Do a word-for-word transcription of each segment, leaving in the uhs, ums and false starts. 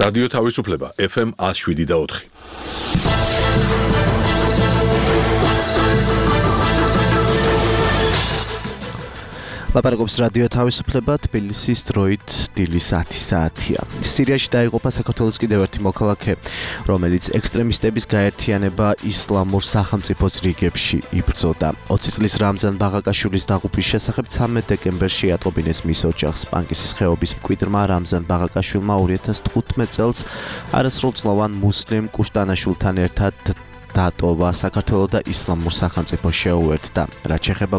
რადიო თავისუფლება ეფ ემ one oh seven და four. ლაპარაკობს რადიო თავისუფლება თბილისის დროით დილის ათი საათია. სირიაში დაიღუპა საქართველოს კიდევ ერთი მოქალაქე, რომელიც ექსტრემისტების გაერთიანება ისლამურ სახელმწიფოს რიგებში იბრძოდა. ოცი წლის რამზან ბაღაკაშვილის დაღუპვის შესახებ ცამეტ დეკემბერში ატყობინეს მის ოჯახს. პანკისის ხეობის მკვიდრმა რამზან ბაღაკაშვილმა two thousand fifteen წელს არასრულწლოვან მუსლიმ კუშტანაშვილთან ერთად დატოვა საქართველოს და ისლამურ სახელმწიფოს შეუერთდა. რაც შეეხება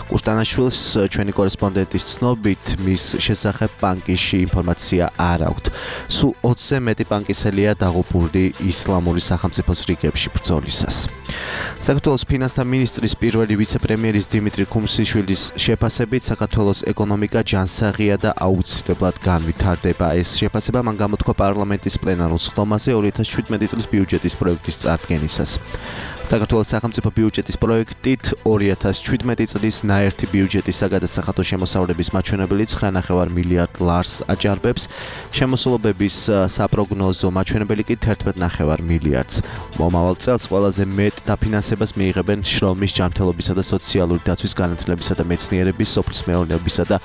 კუშტანაშვილს, ჩვენი კორესპონდენტის ცნობით, მის შესახებ პანკისში ინფორმაცია არ აქვთ. სულ ოცზე მეტი პანკისელია დაღუპული ისლამური სახელმწიფოს რიგებში ბრძოლისას. საქართველოს ფინანსთა მინისტრის პირველი ვიცე-პრემიერის დიმიტრი ქუმსიშვილის შეფასებით, საქართველოს ეკონომიკა ჯანსაღია და აუცილებლად განვითარდება. ეს შეფასება მან გამოთქვა პარლამენტის პლენარულ სხდომაზე two thousand seventeen წლის ბიუჯეტის პროექტის წარდგენისას. საქართველოს სახელმწიფო ბიუჯეტის პროექტით two thousand seventeen წლის ნაერთი ბიუჯეტის საგადასახადო შემოსავლების მაჩვენებელი nine point five მილიარდ ლარს აჭარბებს, შემოსულობების საპროგნოზო მაჩვენებელი კი one point five მილიარდს. მომავალ წელს ყველაზე მეტ დაფინანსებას მიიღებენ შრომის, ჯანმრთელობისა და სოციალური დაცვის, განათლებისა და მეცნიერების, სოფლის მეურნეობისა და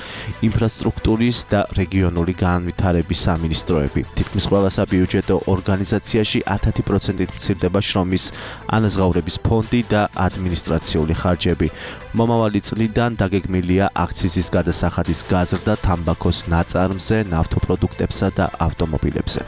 ინფრასტრუქტურის და რეგიონული განვითარების სამინისტროები. თითქმის ყველა საბიუჯეტო ორგანიზაციაში ten პროცენტით მცირდება შრომის ანაზღაურების ფონდი და ადმინისტრაციული ხარჯები. მომავალი წლიდან დაგეგმილია აქციზის გადასახადის გაზრდა თამბაქოს ნაწარმზე, ნავთობპროდუქტებსა და ავტომობილებზე.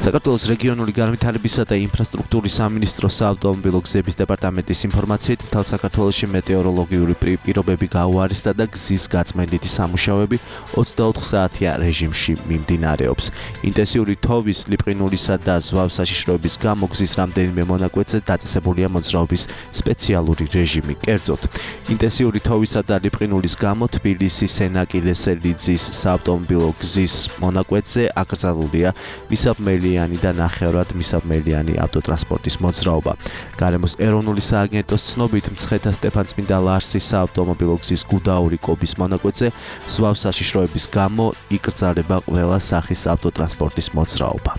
საქართველოს რეგიონული განვითარებისა და ინფრასტრუქტურის სამინისტროს საავტომობილო გზების დეპარტამენტის ინფორმაციით, მთელ საქართველოში მეტეოროლოგიური პირობები გაუარესდა და გზის გაწმენდითი სამუშაოები twenty-four საათიან რეჟიმში მიმდინარეობს. ინტენსიური თოვის, ლიპყინულისა და ზვავ საშიშროების გამო გზის რამდენიმე მონაკვეთზე დაწესებულია მოძრაობის სპეციალური რეჟიმი. კერძოდ, ინტენსიური თოვისა და ლიპყინულის გამო თბილისის სენაკილესელიძის საავტომობილო გზის მონაკვეთზე აკრძალულია მისაბმელი და ნახევრად მისაბმელიანი ავტოტრანსპორტის მოძრაობა. გარემოს ეროვნული სააგენტოს ცნობით, მცხეთა სტეფანწმინდა ლარსის საავტომობილო გზის გუდაური კობის მონაკვეთზე ზვავ საშიშროების გამო იკრძალება ყველა სახის ავტოტრანსპორტის მოძრაობა.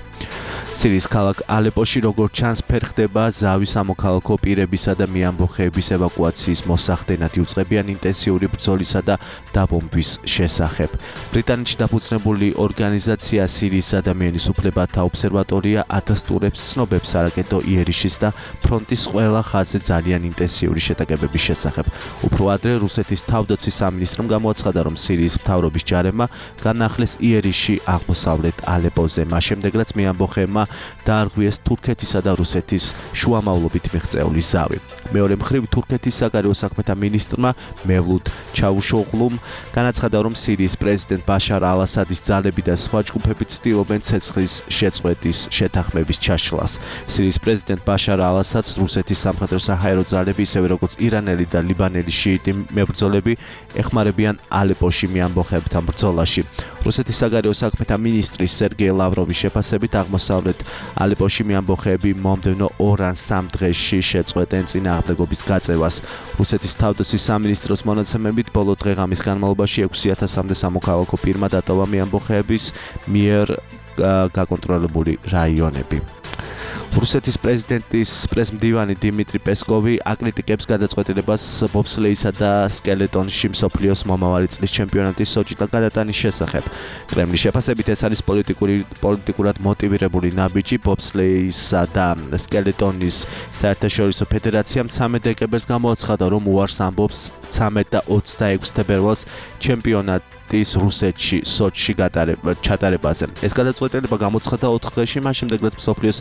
სირიის ქალაქ ალეპოში როგორც ჩანს, ფერხდება ზავის სამოქალაქო პირებისა და მეამბოხეების ევაკუაციის მოსახდენად იუწყებიან ინტენსიური ბრძოლისა და დაბომბვის შესახებ. ბრიტანეთში დაფუძნებული ორგანიზაცია სირიის ადამიანის უფლებათა ობსერვატორია ადასტურებს ცნობებს არაკეტო იერიშის და ფრონტის ყველა ხაზზე ძალიან ინტენსიური შეტაკებების შესახებ. უფრო ადრე რუსეთის თავდაცვის სამინისტრომ გამოაცხადა, რომ სირიის მთავრობის ჯარებმა განახლეს იერიში აღმოსავლეთ ალეპოზე. მას შემდეგ, რაც მეამბოხეებმა დაარღვიეს თურქეთისა და რუსეთის შუამავლობით მიღწეული ზავი. მეორე მხრივ, თურქეთის საგარეო საქმეთა მინისტრმა მევლუდ ჩავუშოღლუმ განაცხადა, რომ სირიის პრეზიდენტ ბაშარ ალ-ასადის ძალები და სხვა ჯგუფები ცდილობენ ცეცხლის შეწყვეტის შეთანხმების ჩაშლას. სირიის პრეზიდენტ ბაშარ ალ-ასადს რუსეთის სამხედრო საჰაერო ძალები, ისევე როგორც ირანელი და ლიბანელი შიიტი მებრძოლები ეხმარებიან ალეპოში მეამბოხეებთან ბრძოლაში. რუსეთის საგარეო საქმეთა მინისტრის სერგეი ლავროვის შეფასებით, აღმოსავლეთ ალეპოში მეამბოხეები მომდევნო ორ ან სამ დღეში შეწყვეტენ წინააღმდეგობის გაწევას. რუსეთის თავდაცვის სამინისტროს მონაცემებით, ბოლო დღე-ღამის განმავლობაში ექვსი ათასამდე სამოქალაქო პირმა დატოვა მეამბოხეების მიერ გაკონტროლებული რაიონები. რუსეთის პრეზიდენტის პრესმდივანი დიმიტრი პესკოვი აკრიტიკებს გადაწყვეტილებას ბობსლეისა და სკელეტონში მსოფლიოს მომავალი წლის ჩემპიონატის სოჭიდან გადატანის შესახებ. კრემლის შეფასებით, ეს არის პოლიტიკური პოლიტიკურად მოტივირებული ნაბიჯი. ბობსლეისა და სკელეტონის საერთაშორისო ფედერაციამ ცამეტ დეკემბერს გამოაცხადა, რომ უარს ამბობს ცამეტ და ოცდაექვსი თებერვალს ჩემპიონატის რუსეთში სოჩში ჩატარებაზე. ეს გადაწყვეტილება გამოცხადდა ოთხ დღეში, მას შემდეგ, რაც მსოფლიოს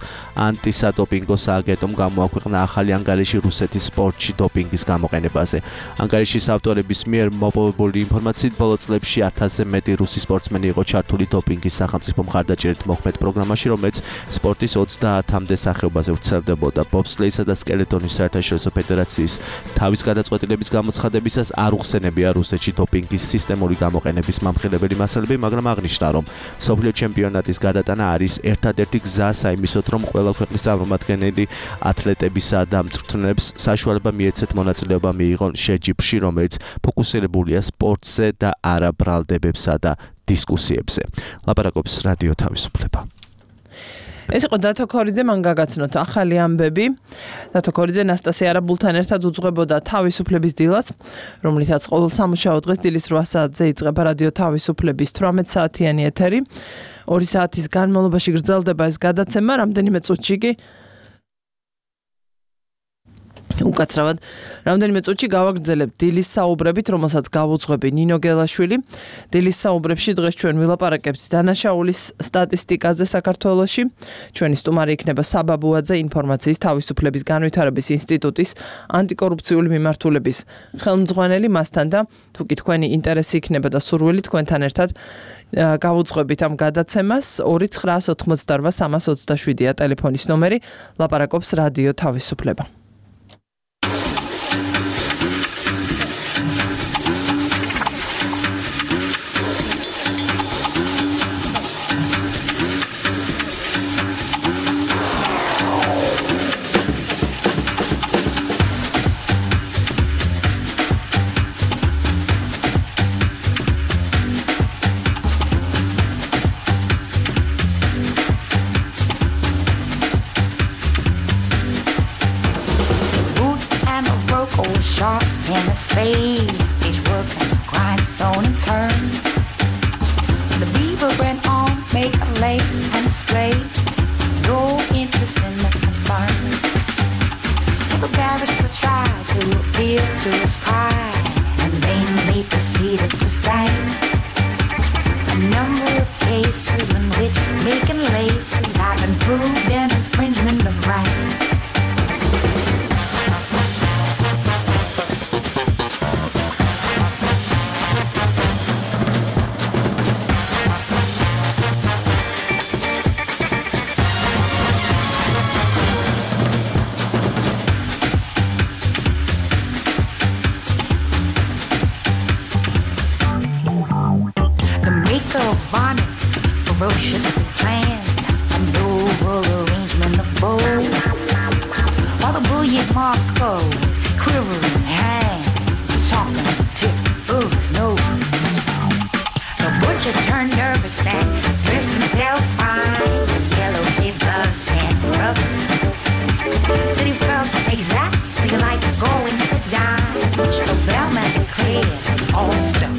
ანტისადოპინგო სააგენტომ გამოაქვეყნა ახალი ანგარიში რუსეთის სპორტში დოპინგის გამოყენებაზე. ანგარიშის ავტორების მიერ მოპოვებული ინფორმაციით, ბოლო წლებში ათასზე მეტი რუსი სპორტსმენი იყო ჩართული დოპინგის სახელმწიფო მხარდაჭერით მოქმედ პროგრამაში, რომელიც სპორტის ოცდაათამდე სახეობაზე ვრცელდებოდა. ბობსლეისა და სკელეტონის საერთაშორისო ფედერაციის თავის გადაწყვეტილების გამოცხადებისას არ უხსენებია რუსეთში დოპინგის სისტემური გამოყენების მამხილებელი მასალები, მაგრამ აღნიშნა, რომ მსოფლიო ჩემპიონატის გადატანა არის ერთადერთი გზა საიმისოდ, რომ ყველა ქვეყნის წარმომადგენელი ათლეტებისა და მწვრთნელებს საშუალება მიეცეთ მონაწილეობა მიიღონ შეჯიბრში, რომელიც ფოკუსირებულია სპორტზე და არა ბრალდებებსა და დისკუსიებზე. ლაპარაკობს რადიო თავისუფლება. ეს იყო დათო ქორიძე, მან გაგაცნოთ ახალი ამბები. დათო ქორიძე ნასტასია არაბულთან ერთად უძღვებოდა თავისუფლების დილას, რომლითაც ყოველ სამუშაო დღეს დილის რვა საათზე იწყება რადიო თავისუფლების თვრამეტ საათიანი ეთერი. ორი საათის განმავლობაში გრძელდება ეს გადაცემა, რამდენიმე წუთში კი უკაცრავად რამდენიმე წუთში გავაგრძელებთ დილის საუბრებით, რომელსაც გავუძღვები ნინო გელაშვილი. დილის საუბრებში დღეს ჩვენ ვილაპარაკებთ დანაშაულის სტატისტიკაზე საქართველოში. ჩვენი სტუმარი იქნება საბა ბუაძე, ინფორმაციის თავისუფლების განვითარების ინსტიტუტის ანტიკორუფციული მიმართულების ხელმძღვანელი. მასთან და თუ კი თქვენი ინტერესი იქნება და სურვილი, თქვენთან ერთად გავუძღვებით ამ გადაცემას. ორი ცხრაას ოთხმოცდარვა სამას ოცდაშვიდია ტელეფონის ნომერი. ლაპარაკობს რადიო თავისუფლება. In a spade, each working grindstone and turn. The beaver went on, make a lace and display. No interest in the concern. The barrister tried to appeal to his pride and vainly proceeded to cite a number of cases in which making laces have been proved an infringement of rights. Ferociously planned a noble arrangement of bows, while the bullion Marco, quivering hand, talking the tip of his nose. The butcher turned nervous and dressed himself fine with yellow kid gloves and rubber. Said he felt exactly like going to dine, which the bellman declared was all stuff.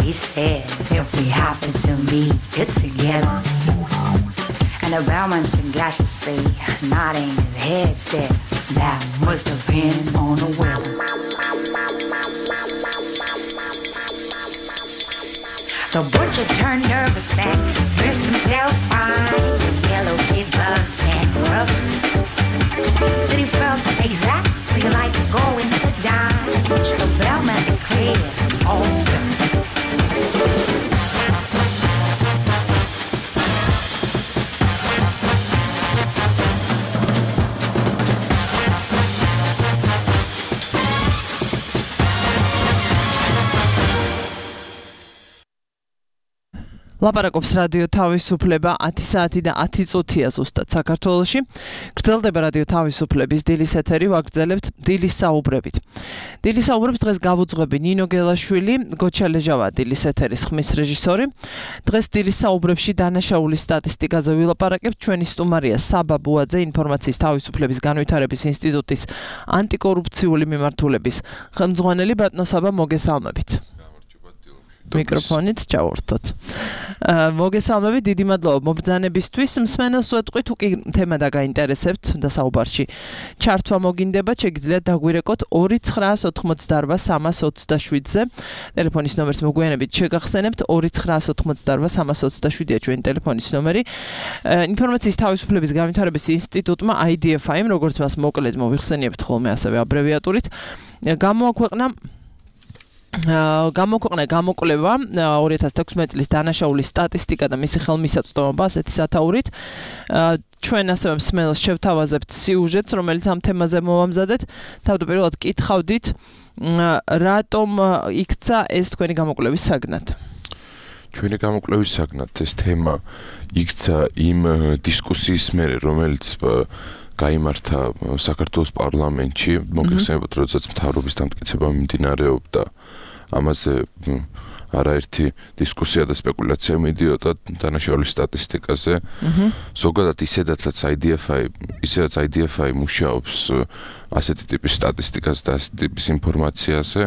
He said, if we happen to meet it together. And the bellman sagaciously nodding his head said, that must depend on the weather. The butcher turned nervous and dressed himself fine with yellow kid gloves and rubber. Said he felt exactly like going to dine, which the bellman declared was all stuff. ლაპარაკობს რადიო თავისუფლება ათი საათი და ათი წუთია ზუსტად საქართველოში. გრძელდება რადიო თავისუფლების დილის ეთერი, ვაგრძელებთ დილის საუბრებით. დილის საუბრებს დღეს გავუძღვები ნინო გელაშვილი, გოჩა ლეჟავა დილის ეთერის ხმის რეჟისორი. დღეს დილის საუბრებში დანაშაულის სტატისტიკაზე ვილაპარაკებთ. ჩვენი სტუმარია საბა ბუაძე, ინფორმაციის თავისუფლების განვითარების ინსტიტუტის ანტიკორუფციული მიმართულების ხელმძღვანელი. ბატონო საბა, მოგესალმებით. მიკროფონიც ჩავორთოთ. მოგესალმებით, დიდი მადლობა მობრძანებისთვის. მსმენელს ვეტყვი, თუ კი თემა დაგაინტერესებთ და საუბარში ჩართვა მოგინდება, შეგიძლიათ დაგვირეკოთ ორი ცხრაას ოთხმოცდაარბა სამას ოცდაშვიდზე. ტელეფონის ნომერს მოგვიანებით შეგახსენებთ ორი ცხრაას ოთხმოცდაარბა სამას ოცდაშვიდია ჩვენი ტელეფონის ნომერი. ინფორმაციის თავისუფლების განვითარების ინსტიტუტმა აი დი ეფ აიმ, როგორც მას მოკლედ მოვიხსენიებთ ხოლმე ასევე აბრევიატურით, გამოაქვეყნა გამოქვეყნა გამოკვლევა ორი ათას თექვსმეტი წლის დანაშაულის სტატისტიკა და მისი ხელმისაწვდომობა ასეთი სათაურით. ჩვენ ასევე მსმენელს შევთავაზებთ სიუჟეტს, რომელიც ამ თემაზე მოვამზადეთ. თავდაპირველად კითხავდით, რატომ იქცა ეს თქვენი გამოკვლევის საგნად? ჩვენი გამოკვლევის საგნად ეს თემა იქცა იმ დისკუსიის მერე, რომელიც გაიმართა საქართველოს პარლამენტში, მოგეხსენებათ, როდესაც მთავრობის დამტკიცება მიმდინარეობდა. ამაზე არაერთი დისკუსია და სპეკულაცია მიდიოდა დანაშაულის სტატისტიკაზე. ზოგადად ისედაც აი დი ეფ აი, ისედაც აი დი ეფ აი მუშაობს ასეთი ტიპის სტატისტიკაზე და ასეთი ტიპის ინფორმაციაზე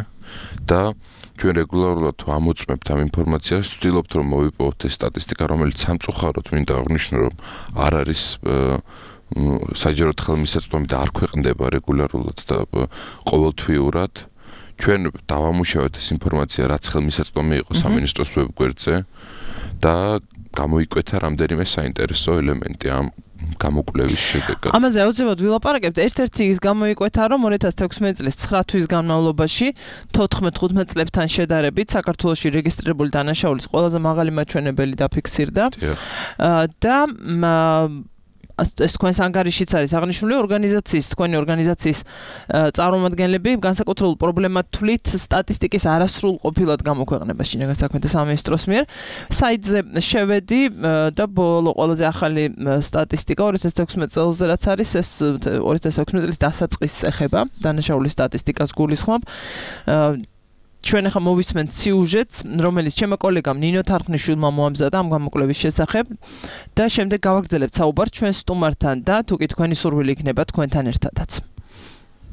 და ჩვენ რეგულარულად ამოწმებთ ამ ინფორმაციას, ვცდილობთ რომ მოვიპოვოთ ეს სტატისტიკა, რომელიც სამწუხაროდ მინდა აღვნიშნო, რომ არ არის საჯაროდ ხელმისაწვდომი და არ ქვეყნდება რეგულარულად და ყოველთვიურად. ჩვენ დავამუშავეთ ეს ინფორმაცია, რაც ხელმისაწვდომი იყო სამინისტროს ვებგვერდზე და გამოიკვეთა რამდენიმე საინტერესო ელემენტი ამ გამოკვლევის შედეგად. ამაზე აუცილებლად ვილაპარაკებთ. ერთ-ერთი ის გამოიკვეთა, რომ ორი ათას თექვსმეტი წლის ცხრა თვის განმავლობაში თოთხმეტ თხუთმეტ წლებთან შედარებით საქართველოში რეგისტრირებული დანაშაულის ყველაზე მაღალი მაჩვენებელი დაფიქსირდა და ეს თქვენს ანგარიშიც არის აღნიშნული, ორგანიზაციის, თქვენი ორგანიზაციის წარმომადგენლები განსაკუთრებულ პრობლემად თვლით სტატისტიკის არასრულყოფილად გამოქვეყნება შინაგან საქმეთა სამინისტროს მიერ. საიტზე შევედი და ბოლო ყველაზე ახალი სტატისტიკა ორი ათას თექვსმეტი წელზე რაც არის, ეს ორი ათას თექვსმეტი წლის დასაწყისს ეხება, დანაშაულის სტატისტიკას გულისხმობ. ჩვენ ახლა მოვისმენთ სიუჟეტს, რომელიც ჩემო კოლეგამ ნინო თარხნიშვილმა მოამზადა ამ გამოკვლევის შესახებ და შემდეგ გავაგრძელებთ საუბარს ჩვენ სტუმართან და თუ კი თქვენი სურვილი იქნება თქვენთან ერთადაც.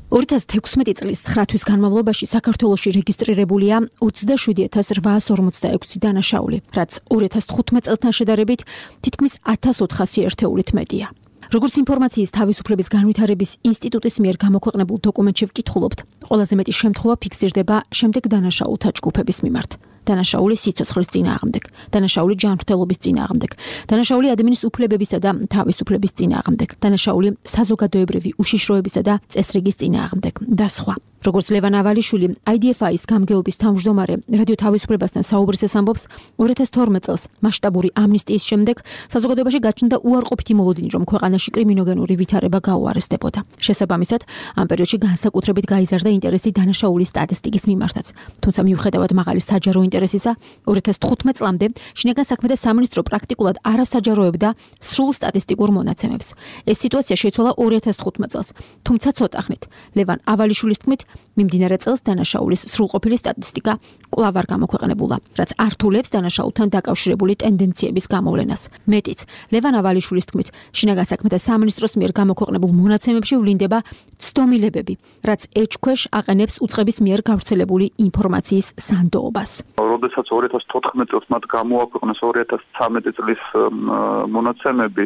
ორი ათას თექვსმეტი წლის ცხრა თვის განმავლობაში საქართველოში რეგისტრირებულია ოცდაშვიდი ათას რვაას ორმოცდაექვსი დანაშაული, რაც ორი ათას თხუთმეტ წელთან შედარებით თითქმის ათას ოთხასი ერთეულით მეტია. როგორც ინფორმაციის თავისუფლების განვითარების ინსტიტუტის მიერ გამოქვეყნებულ დოკუმენტში ვკითხულობთ, ყველაზე მეტი შემთხვევა ფიქსირდება შემდეგ დანაშაულთა ჯგუფების მიმართ. დანაშაული სიცოცხლის წინააღმდეგ, დანაშაული ჯანმრთელობის წინააღმდეგ, დანაშაული ადამიანის უფლებებისა და თავისუფლების წინააღმდეგ, დანაშაული საზოგადოებრივი უშიშროებისა და წესრიგის წინააღმდეგ და სხვა. როგორც ლევან ავალიშვილი, აი დი ეფ აის გამგეობის თავმჯდომარე რადიო თავისუფლებასთან საუბრისას ამბობს, ორი ათას თორმეტ წელს მასშტაბური ამნისტიის შემდეგ საზოგადოებაში გაჩნდა უარყოფითი მოლოდინი, რომ ქვეყანაში კრიმინოგენური ვითარება გაუარესდებოდა. შესაბამისად, ამ პერიოდში განსაკუთრებით გაიზარდა ინტერესი დანაშაულის სტატისტიკის მიმართაც. თუმცა მიუხედავად მაღალი საჯარო ინტერესისა, ორი ათას თხუთმეტ წლამდე შინაგან საქმეთა სამინისტრო პრაქტიკულად არ ასაჯაროებდა სრულ სტატისტიკურ მონაცემებს. ეს სიტუაცია შეიცვალა ორი ათას თხუთმეტ წელს, თუმცა ცოტა ხნით. ლევან ავალიშვილის თქმით, მიმდინარე წელს დანაშაულის სრულყოფილი სტატისტიკა კვლავ არ გამოქვეყნებულა, რაც ართულებს დანაშაულთან დაკავშირებული ტენდენციების გამოვლენას. მეტიც, ლევან ავალიშვილის თქმით, შინაგან საქმეთა სამინისტროს მიერ გამოქვეყნებულ მონაცემებში ვლინდება ცდომილებები, რაც ეჭქვეშ აყენებს უწყების მიერ გავრცელებული ინფორმაციის სანდოობას. როდესაც ორი ათას თოთხმეტ წელს მათ გამოაქვეყნეს ორი ათას ცხრამეტი წლის მონაცემები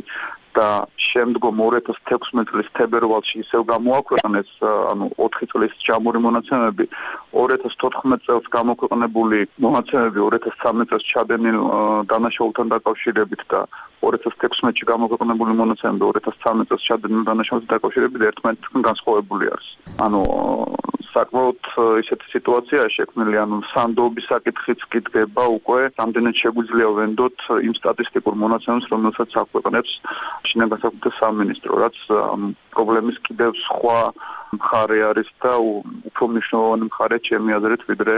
და შემდგომ ორი ათას თექვსმეტი წლის თებერვალში ისევ გამოაქვეყნეს, ანუ ოთხი წლის ჯამური მონაცემები, ორი ათას თოთხმეტ წელს გამოქვეყნებული მონაცემები ორი ათას ცხრამეტ წელს ჩადენილ დანაშაულთან დაკავშირებით და ორი ათას თექვსმეტში გამოქვეყნებული მონაცემები ორი ათას ცხრამეტ წელს ჩადენილ დანაშაულთან დაკავშირებით ერთმანეთთან განსხვავებული არის. ანუ საკმაოდ ისეთი სიტუაცია შექმნილი, ანუ სანდოობის საკითხიც კი დგება უკვე, რამდენად შეგვიძლია ვენდოთ იმ სტატისტიკურ მონაცემებს, რომელსაც აქვეყნებს შინაგან საქმეთა სამინისტრო, რაც პრობლემის კიდევ სხვა მხარე არის და უფრო მნიშვნელოვანი მხარეა ჩემი აზრით, ვიდრე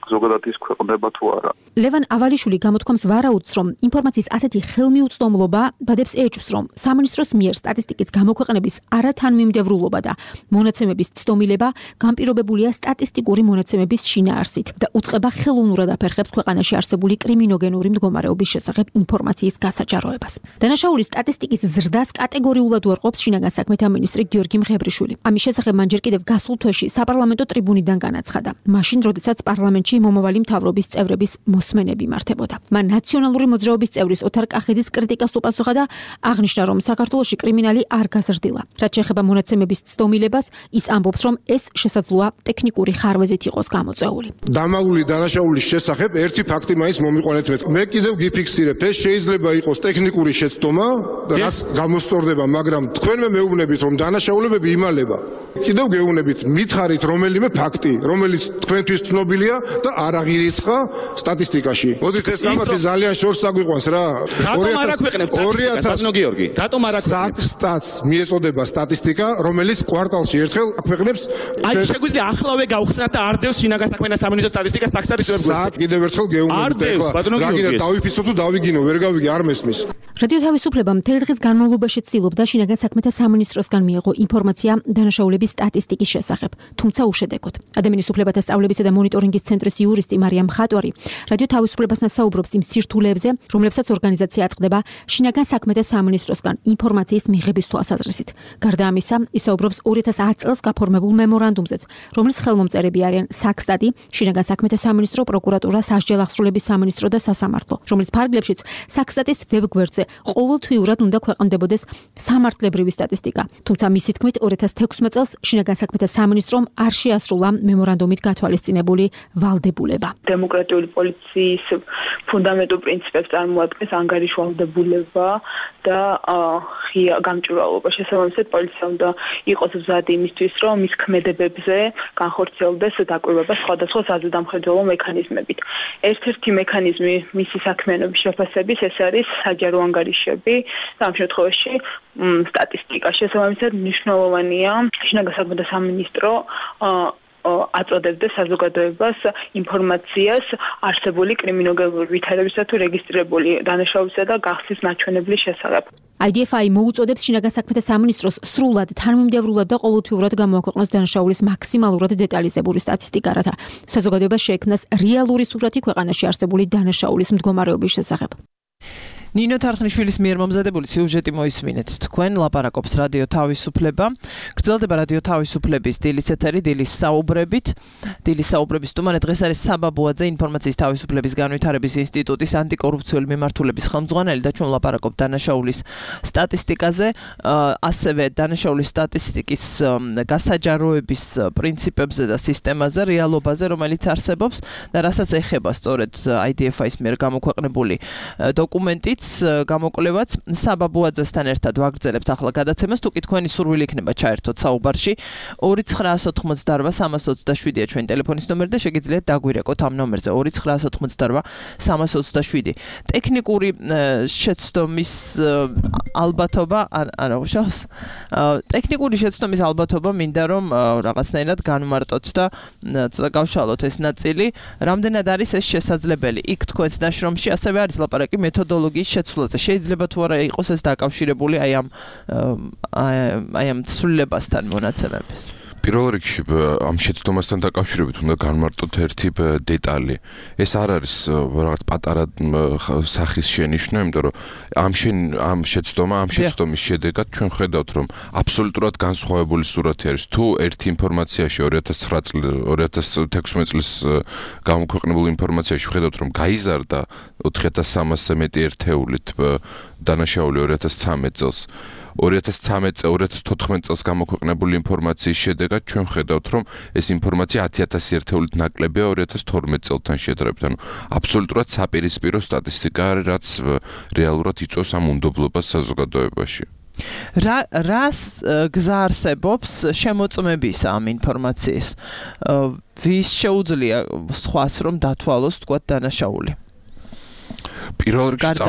ზოგადად ის ქვეყნდება თუ არა. ლევან ავალიშვილი გამოთქვამს ვარაუდს, რომ ინფორმაციის ასეთი ხელმიუწვდომლობა ბადებს ეჭვს, რომ სამინისტროს მიერ სტატისტიკის გამოქვეყნების არათანმიმდევრულობა და მონაცემების ცდომილება განპირობებულია სტატისტიკური მონაცემების შინაარსით და უწყება ხელოვნურად აფერხებს ქვეყანაში არსებული კრიმინოგენური მდგომარეობის შესახებ ინფორმაციის გასაჯაროებას. დანაშაულის სტატისტიკის ზრდას კატეგორიულად უარყოფს შინაგან საქმეთა მინისტრი გიორგი მღებრიშვილი. ამის შესახებ მან ჯერ კიდევ გასულ თვეში საპარლამენტო ტრიბუნიდან განაცხადა. მაშინ, როდესაც პარლამენტში მომავალი მთავრობის წევრების მოსმენები მართებოდა. მან ნაციონალური მოძრაობის წევრის ოთარ კახიძის კრიტიკას უპასუხა და აღნიშნა, რომ საქართველოში კრიმინალი არ გაზრდილა. რაც შეეხება მონაცემების ცდომილებას, ის ამბობს, რომ ეს შესაძლოა ტექნიკური ხარვეზით იყოს გამოწვეული. დამაგული დანაშაულის შესახებ ერთი ფაქტი მაინც მომიყვანეთ მე. მე კიდევ გიფიქსირებ, ეს შეიძლება იყოს ტექნიკური შეცდომა, რაც გამოსწორდება, მაგრამ თქვენმე მეუბნებით, რომ დანაშაულებები იმალება. კიდევ გეუბნებით, მითხარით რომელიმე ფაქტი, რომელიც თქვენთვის ცნობილია და არ აღირიცხა სტატისტიკაში. მოდით ეს გამათი ძალიან შორს აგვიყვანს რა. რატომ არ აქვეყნებთ სტატისტიკას, ბატონო გიორგი? რატომ არ აქვეყნებთ? სტატს მიეწოდება სტატისტიკა, რომელიც კვარტალში ერთხელ აქვეყნებს. აი შეგვიძლია ახლავე გავხსნათ და არ დევს შინაგან საქმეთა სამინისტროს სტატისტიკას საქსარის ვებგვერდზე. კიდევ ერთხელ გეუბნებით ეხლა. რაგინა დავიფიცოთ თუ დავიგინო, ვერ გავიგე, არ მესმის. რადიო თავისუფლება მთელი დღის განმავლობაში ცდილობდა შინაგან საქმეთა სამინისტროსგან მიეღო ინფორმაცია დანაშაულების სტატისტიკის შესახებ, თუმცა უშედეგოდ. ადამიანის უფლებათა სწავლებისა და მონიტორინგის ცენტრის იურისტი მარიამ ხატვარი რადიო თავისუფლებასთან საუბრობს იმ სირთულეებზე, რომლებსაც ორგანიზაცია აწყდება შინაგან საქმეთა სამინისტროსგან ინფორმაციის მიღების თვალსაზრისით. გარდა ამისა, ისაუბრობს ორი ათას ათი წელს გაფორმებულ მემორანდუმზეც, რომლის ხელმომწერები არიან საქსტატი, შინაგან საქმეთა სამინისტრო, პროკურატურა, სასჯელ აღსრულების სამინისტრო და სასამართლო, რომლის ფარგლებშიც საქსტატის ვებგვერდზე ყოველთვიურად უნდა ქვეყნდებოდეს სამართლებრივი სტატისტიკა. თუმცა მისი თქმით ორი ათას თექვსმეტ წელს შინაგან საქმეთა სამინისტრომ არ შეასრულა მემორანდუმით გათვალისწინებული ვალდებულება. დემოკრატიული პოლიციის ფუნდამენტურ პრინციპებს წარმოადგენს ანგარიშვალდებულება და ღია გამჭვირვალობა. შესაბამისად, პოლიცია უნდა იყოს მზადი იმისთვის, რომ მის ქმედებებზე განხორციელდეს დაკვირვება სხვადასხვა საზრდამხედველო მექანიზმებით. ერთ-ერთი მექანიზმი მისი საქმიანობის შეფასების ეს არის საჯარო ანგარიშები და ამ შემთხვევაში სტატისტიკა. შესაბამისად, მნიშვნელოვანია შინაგან საქმეთა სამინისტრო აწოდებდეს საზოგადოებას ინფორმაციას არსებული კრიმინოგენური ვითარებისა თუ რეგისტრირებული დანაშაულისა და გახსნის ნაჩვენებლის შესახებ. აი დი ეფ აი მოუწოდებს შინაგან საქმეთა სამინისტროს სრულად, თანმიმდევრულად და ყოველთვიურად გამოაქვეყნოს დანაშაულის მაქსიმალურად დეტალიზებული სტატისტიკა, რათა საზოგადოებას შეექმნას რეალური სურათი ქვეყანაში არსებული დანაშაულის მდგომარეობის შესახებ. ნინო თარხნიშვილის მიერ მომზადებული სიუჟეტი მოისმინეთ. თქვენ ლაპარაკობს რადიო თავისუფლება. გრძელდება რადიო თავისუფლების დილის ეთერი, დილის საუბრებით. დილის საუბრების სტუმარი დღეს არის საბა ბუაძე, ინფორმაციის თავისუფლების განვითარების ინსტიტუტის ანტიკორუფციული მიმართულების ხელმძღვანელი და ჩვენ ლაპარაკობთ დანაშაულის სტატისტიკაზე, ასევე დანაშაულის სტატისტიკის გასაჯაროების პრინციპებზე და სისტემაზე, რეალობაზე, რომელიც არსებობს და რასაც ეხება სწორედ აი დი ეფ აის მიერ გამოქვეყნებული დოკუმენტი გამოკვლევაც საბა ბუაძესთან ერთად ვაგრძელებთ ახლა გადაცემას. თუ კი თქვენი სურვილი იქნება ჩაერთოთ საუბარში, ორი ცხრაას ოთხმოცდარვა სამას ოცდაშვიდია ჩვენი ტელეფონის ნომერი და შეგიძლიათ დაგვირეკოთ ამ ნომერზე ორი ცხრაას ოთხმოცდარვა სამას ოცდაშვიდი. ტექნიკური შეცდომის ალბათობა არა უშავს. ტექნიკური შეცდომის ალბათობა მინდა რომ რაღაცნაირად განმარტოთ და ცოტა გავშალოთ ეს ნაწილი. რამდენად არის ეს შესაძლებელი? იქ თქვენს ნაშრომში ასევე არის ლაპარაკი მეთოდოლოგიის შეცვლაზე. შეიძლება თუ არა იყოს ეს დაკავშირებული აი ამ აი ამ ცვლილებასთან მონაცემების. პირველ რიგში ამ შეცდომასთან დაკავშირებით უნდა განმარტოთ ერთი დეტალი. ეს არ არის რაღაც პატარა სახის შენიშვნა, იმიტომ რომ ამ ამ შეცდომა, ამ შეცდომის შედეგად ჩვენ ხედავთ, რომ აბსოლუტურად განსხვავებული სურათი არის. თუ ერთი ინფორმაციაში ორი ათას ცხრა წლის ორი ათას თექვსმეტ წლის გამოქვეყნებულ ინფორმაციაში ხედავთ, რომ გაიზარდა ოთხი ათას სამასზე მეტი ერთეულით დანაშაული ორი ათას ცხრამეტ წელს. ორი ათას ცხრამეტ წელს ორი ათას თოთხმეტ წელს გამოქვეყნებული ინფორმაციის შედეგად ჩვენ ხედავთ, რომ ეს ინფორმაცია ათი ათასი ერთეულით ნაკლებია ორი ათას თორმეტ წელთან შედარებით. ანუ აბსოლუტურად საპირისპირო სტატისტიკა არის, რაც რეალურად იწვევს ამ უნდობლობას საზოგადოებაში. რა რას გზა არსებობს შემოწმების ამ ინფორმაციის? ვის შეუძლია სხვას რომ დათვალოს თქვა დანაშაული? პირველ რიგში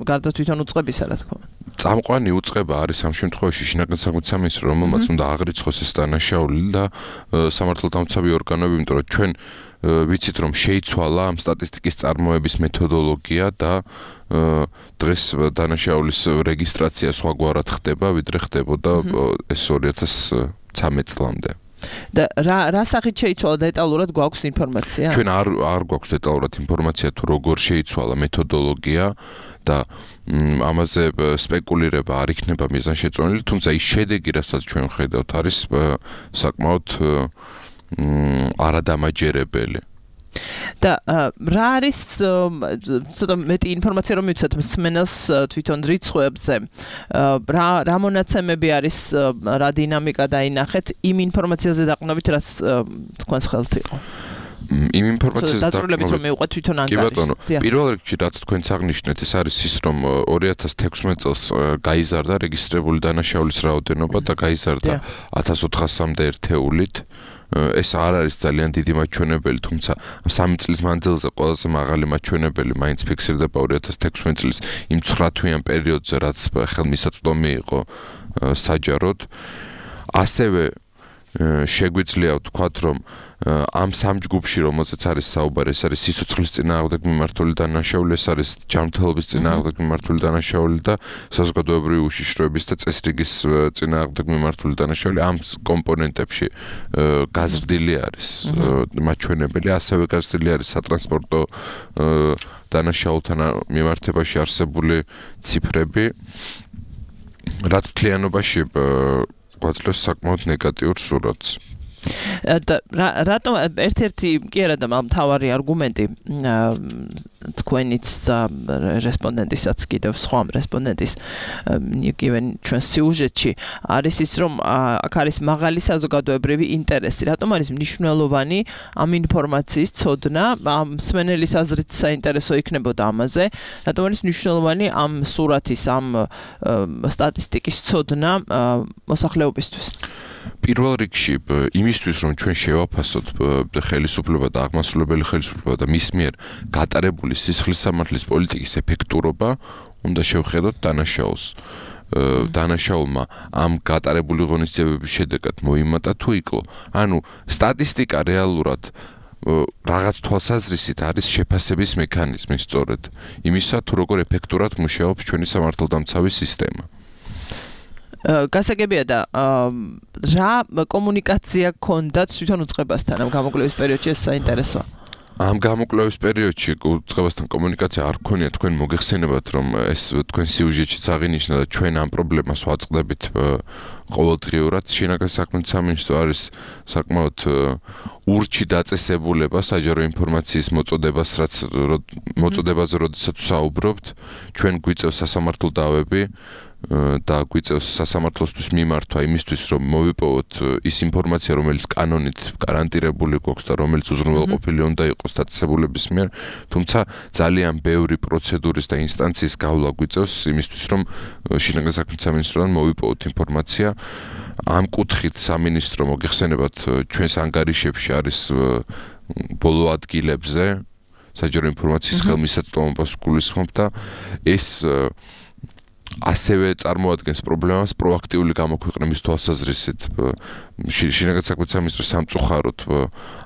გარდა თვითონ უწყებისა, რა თქმა უნდა. წამყვანი უწყება არის ამ შემთხვევაში შინაგან საქმეთა სამინისტრო, რომელმაც უნდა აღრიცხოს ეს დანაშაული და სამართალდამცავი ორგანოები, იმიტომ რომ ჩვენ ვიცით რომ შეიცვალა ამ სტატისტიკის წარმოების მეთოდოლოგია და დღეს დანაშაულის რეგისტრაცია სხვაგვარად ხდება, ვიდრე ხდებოდა ეს ორი ათას ცხრამეტ წლამდე. და რა რა სახით შეიცვალა დეტალურად გვაქვს ინფორმაცია? ჩვენ არ არ გვაქვს დეტალურად ინფორმაცია თუ როგორ შეიცვალა მეთოდოლოგია და ამაზე სპეკულირება არ იქნება მიზანშეწონილი, თუმცა ის შედეგი, რასაც ჩვენ ხედავთ, არის საკმაოდ არადამაჯერებელი. და რა არის ცოტა მეტი ინფორმაცია რომ მივცეთ მსმენელს თვითონ რიცხვებზე რა რა მონაცემები არის რა დინამიკა დაინახეთ იმ ინფორმაციაზე დაყრდნობით რაც თქვენს ხელთ იყო იმ ინფორმაციაზე დაწყვილებით რომ მივყვეთ თვითონ ანგარიშს. კი ბატონო, პირველ რიგში რაც თქვენც აღნიშნეთ, ეს არის ის რომ ორი ათას თექვსმეტ წელს გაიზარდა რეგისტრირებული დანაშაულის რაოდენობა და გაიზარდა ათას ოთხასამდე ერთეულით. ეს არ არის ძალიან დიდი მაჩვენებელი, თუმცა სამი წლის მანძილზე ყველაზე მაღალი მაჩვენებელი მაინც ფიქსირდება ორი ათას თექვსმეტ წლის იმ ცხრა თვიან პერიოდზე, რაც ხელმისაწვდომი იყო საჯაროდ. ასევე შეგვიძლია ვთქვათ, რომ ამ სამ ჯგუფში, რომელზეც არის საუბარი, ეს არის სიცოცხლის წინააღმდეგ მიმართული დანაშაული, ეს არის ჯანმრთელობის წინააღმდეგ მიმართული დანაშაული და საზოგადოებრივი უშიშროების და წესრიგის წინააღმდეგ მიმართული დანაშაული. ამ კომპონენტებში გაზრდილი არის მაჩვენებელი, ასევე გაზრდილი არის სატრანსპორტო დანაშაულთან მიმართებაში არსებული ციფრები, რაც მთლიანობაში გვაძლევს საკმაოდ ნეგატიურ სურათს. და რატომ ერთ-ერთი კი არა და მთავარი არგუმენტი თქვენიც რესპონდენტისაც კიდევ სხვა რესპონდენტის იგივე ჩვენ სიუჟეტში არის ის რომ აქ არის მაღალი საზოგადოებრივი ინტერესი. რატომ არის მნიშვნელოვანი ამ ინფორმაციის ცოდნა, ამ მსმენელის აზრით საინტერესო იქნებოდა ამაზე, რატომ არის მნიშვნელოვანი ამ სურათის, ამ სტატისტიკის ცოდნა მოსახლეობისთვის? პირველ რიგში იმისთვის რომ ჩვენ შევაფასოთ ხელისუფლება და აღმასრულებელი ხელისუფლება და მის მიერ გატარებული სისხლის სამართლის პოლიტიკის ეფექტურობა, უნდა შევხედოთ დანაშაულს. დანაშაულმა ამ გატარებული ღონისძიებების შედეგად მოიმატა თუ იკლო. ანუ სტატისტიკა რეალურად რაღაც თვალსაზრისით არის შეფასების მექანიზმი სწორედ იმისა თუ როგორ ეფექტურად მუშაობს ჩვენი სამართალდამცავი სისტემა. გასაგებია და რა კომუნიკაცია გქონდათ თვითონ უწყებასთან ამ გამოკვლევის პერიოდში ეს საინტერესოა. ამ გამოკვლევის პერიოდში უწყებასთან კომუნიკაცია არ გქონია, თქვენ მოგეხსენებათ რომ ეს თქვენ სიუჟეტშიც აღინიშნა და ჩვენ ამ პრობლემას ვაწყდებით ყოველდღიურად. შინაგან საქმეთა სამინისტრო არის საკმაოდ ურჩი დაწესებულება საჯარო ინფორმაციის მოწოდებას, რაც მოწოდებაზე როდესაც საუბრობთ, ჩვენ გვიწევს სასამართლო დავები და გვიწევს სასამართლოსთვის მიმართვა იმისთვის, რომ მოვიპოვოთ ის ინფორმაცია, რომელიც კანონით გარანტირებული გვაქვს და რომელიც უზრუნველყოფილი უნდა იყოს დაწესებულების მიერ, თუმცა ძალიან ბევრი პროცედურის და ინსტანციის გავლა გვიწევს იმისთვის, რომ შინაგან საქმეთა სამინისტროდან მოვიპოვოთ ინფორმაცია. ამ კუთხით სამინისტრო მოგეხსენებათ ჩვენს ანგარიშებში არის ბოლო ადგილებზე საჯარო ინფორმაციის ხელმისაწვდომობას გულისხმობ და ეს ასევე წარმოადგენს პრობლემას პროაქტიული გამოქვეყნების თვალსაზრისით. შინაგან საქმეთა სამინისტრო სამწუხაროდ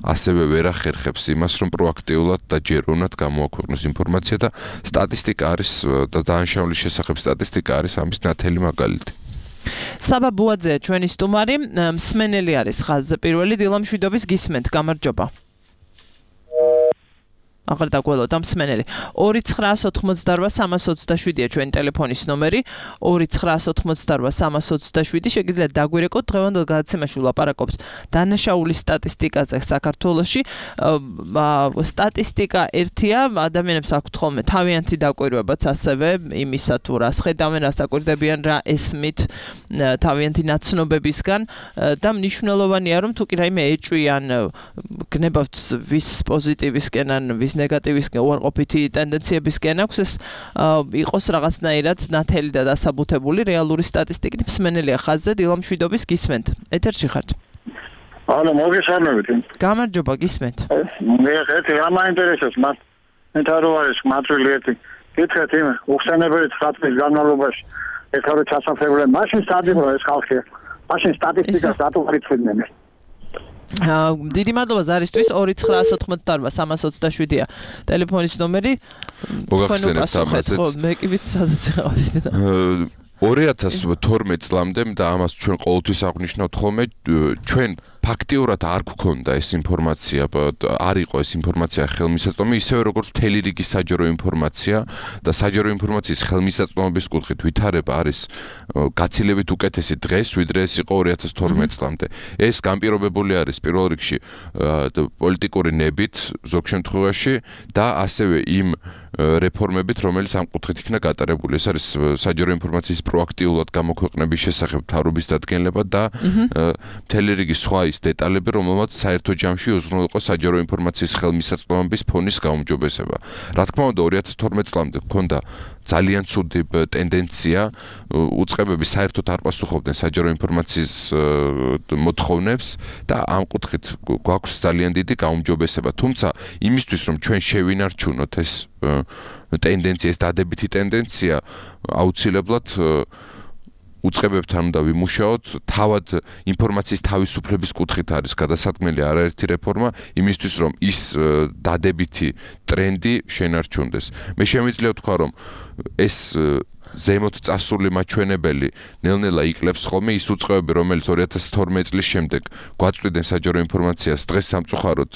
ასევე ვერ ახერხებს იმას, რომ პროაქტიულად და ჯეროვნად გამოაქვეყნოს ინფორმაცია და სტატისტიკა არის და დანაშაულის შესახებ სტატისტიკა არის ამის ნათელი მაგალითი. საბა ბუაძეა ჩვენი სტუმარი, მსმენელი არის ხაზზე პირველი, დილა მშვიდობის გისმენთ, გამარჯობა. აღარ დაგველოთ ამ მსმენელი. ორი ცხრაას ოთხმოცდარვა სამას ოცდაშვიდია ჩვენი ტელეფონის ნომერი. ორი ცხრაას ოთხმოცდარვა სამას ოცდაშვიდი. შეგიძლიათ დაგვირეკოთ, დღევანდელ გადაცემაში ვლაპარაკობთ დანაშაულის სტატისტიკაზე საქართველოში. სტატისტიკა ერთია, ადამიანებს აქვთ ხოლმე თავიანთი დაკვირვებაც ასევე იმისა თუ რას ხედავენ, რას აკვირდებიან, რა ესმით თავიანთი ნაცნობებისგან და მნიშვნელოვანია რომ თუ კი რაიმე ეჭვიან, გნებავთ ვის პოზიტივისკენ ან ვის ნეგატივისკენ უარყოფითი ტენდენციებისკენ აქვს, ეს იყოს რაღაცნაირად ნათელი და დასაბუთებული რეალური სტატისტიკით. მსმენელია ხაზზე, დილა მშვიდობის გისმენთ. ეთერში ხართ. ანუ მოგესალმებით. გამარჯობა, გისმენთ. მე ერთი რა მაინტერესებს მას. მე თარო არის მატრილი ერთი. კითხეთ იმ უხსენებელი ცხრა წლის განმავლობაში ეხლა რო ჩასაფრებულე მაშინ სადიბრო ეს ხალხი. მაშინ სტატისტიკას რატო არ იცოდნენ? დიდი მადლობა ზარისთვის ორი ცხრა ოთხმოცდაოთხ სამას ოცდაშვიდია ტელეფონის ნომერი. მოგახსენებთ ამაზეც. მე კი ვიცი სადაც იყავით. ორი ათას თორმეტ წლამდე და ამას ჩვენ ყოველთვის აღნიშნავთ ხოლმე ჩვენ ფაქტიურად არ გვქონდა ეს ინფორმაცია, არ იყო ეს ინფორმაცია ხელმისაწვდომი, ისევე როგორც მთელი რიგი საჯარო ინფორმაცია და საჯარო ინფორმაციის ხელმისაწვდომობის კუთხით ვითარება არის გაცილებით უკეთესი დღეს, ვიდრე ეს იყო ორი ათას თორმეტ წლამდე. ეს განპირობებული არის პირველ რიგში პოლიტიკური ნებით ზოგ შემთხვევაში და ასევე იმ რეფორმებით, რომელიც ამ კუთხით იქნა გატარებული. ეს არის საჯარო ინფორმაციის პროაქტიულად გამოქვეყნების შესახებ თავრობის დადგენილება და მთელი რიგი სხვა ის დეტალები, რომელმაც საერთო ჯამში უზრუნველყო საჯარო ინფორმაციის ხელმისაწვდომობის ფონის გაუმჯობესება. რა თქმა უნდა, ორი ათას თორმეტ წლამდე ჰქონდა ძალიან ცუდი ტენდენცია, უწყებები საერთოდ არ პასუხობდნენ საჯარო ინფორმაციის მოთხოვნებს და ამ კუთხით გვაქვს ძალიან დიდი გაუმჯობესება. თუმცა იმისთვის, რომ ჩვენ შევინარჩუნოთ ეს ტენდენცია, ეს დადებითი ტენდენცია, აუცილებლად უწყებებთან უნდა ვიმუშაოთ, თავად ინფორმაციის თავისუფლების კუთხით არის გადასაქმნელი არაერთი რეფორმა, იმისთვის რომ ის დადებითი ტრენდი შენარჩუნდეს. მე შემიძლია ვთქვა, რომ ეს ზემოთ წასული მაჩვენებელი ნელ-ნელა იკლებს ხოლმე ის უწყებები, რომელიც ორი ათას თორმეტ წლის შემდეგ გვაწვდიდნენ საჯარო ინფორმაციას დღეს სამწუხაროდ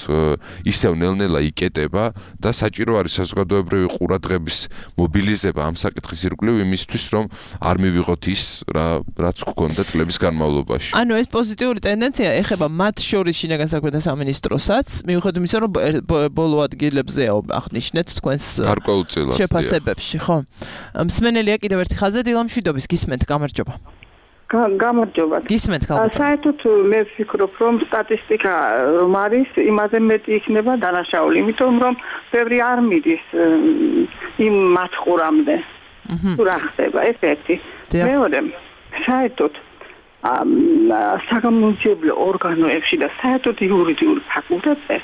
ისევ ნელ-ნელა იკეტება და საჭირო არის საზოგადოებრივი ყურადღების მობილიზება ამ საკითხის ირგვლივ იმისთვის, რომ არ მივიღოთ ის, რა რაც გვქონდა წლების განმავლობაში. ანუ ეს პოზიტიური ტენდენცია ეხება მათ შორის შინაგან საქმეთა სამინისტროსაც, მიუხედავად იმისა, რომ ბოლო ადგილებზეა აღნიშნეთ თქვენს გარკვეულწილად შეფასებებში, ხო? მსმენელია კიდევ ერთი ხაზზე დილამშვიდობის გისმენთ, გამარჯობა. გამარჯობა. გისმენთ ხალხო. საერთოდ მე ვფიქრობ, რომ სტატისტიკა რომ არის, იმაზე მეტი იქნება დანაშაული, იმიტომ რომ ბევრი არ მიდის იმ მათყურამდე. თუ რა ხდება, ეს ერთი. მეორე, საერთოდ საგამომძიებლო ორგანოებში და საერთოდ იურიდიულ ფაკულტეტზე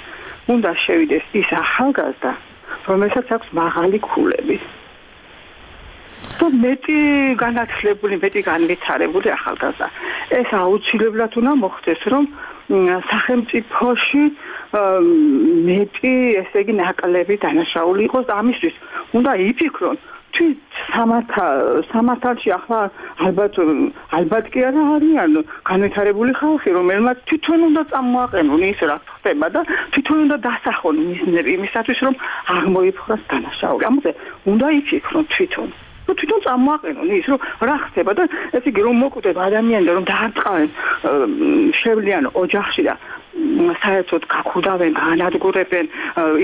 უნდა შევიდეს ის ახალგაზრდა, რომელსაც აქვს მაღალი ქულები. თუ მეტი განათლებული, მეტი განვითარებული ახალგაზრდა. ეს აუცილებლად უნდა მოხდეს, რომ სახელმწიფოში მეტი, ესე იგი, ნაკლები დანაშაული იყოს და ამისთვის უნდა იფიქრონ თვით სამართალში ახლა ალბათ ალბათ კი არა არიან განვითარებული ხალხი, რომელმაც თვითონ უნდა წამოაყენონ ის რაც ხდება და თვითონ უნდა დასახონ მიზნები იმისათვის, რომ აღმოიფხვრას დანაშაული. ამაზე უნდა იფიქრონ თვითონ. ну თვითონ წამოაყენონ ის რომ რა ხდება და ესე იგი რომ მოკვდება ადამიანები რომ დაარტყავენ შევლიან ოჯახში და საერთოდ გაქუდავენ, განადგურებენ,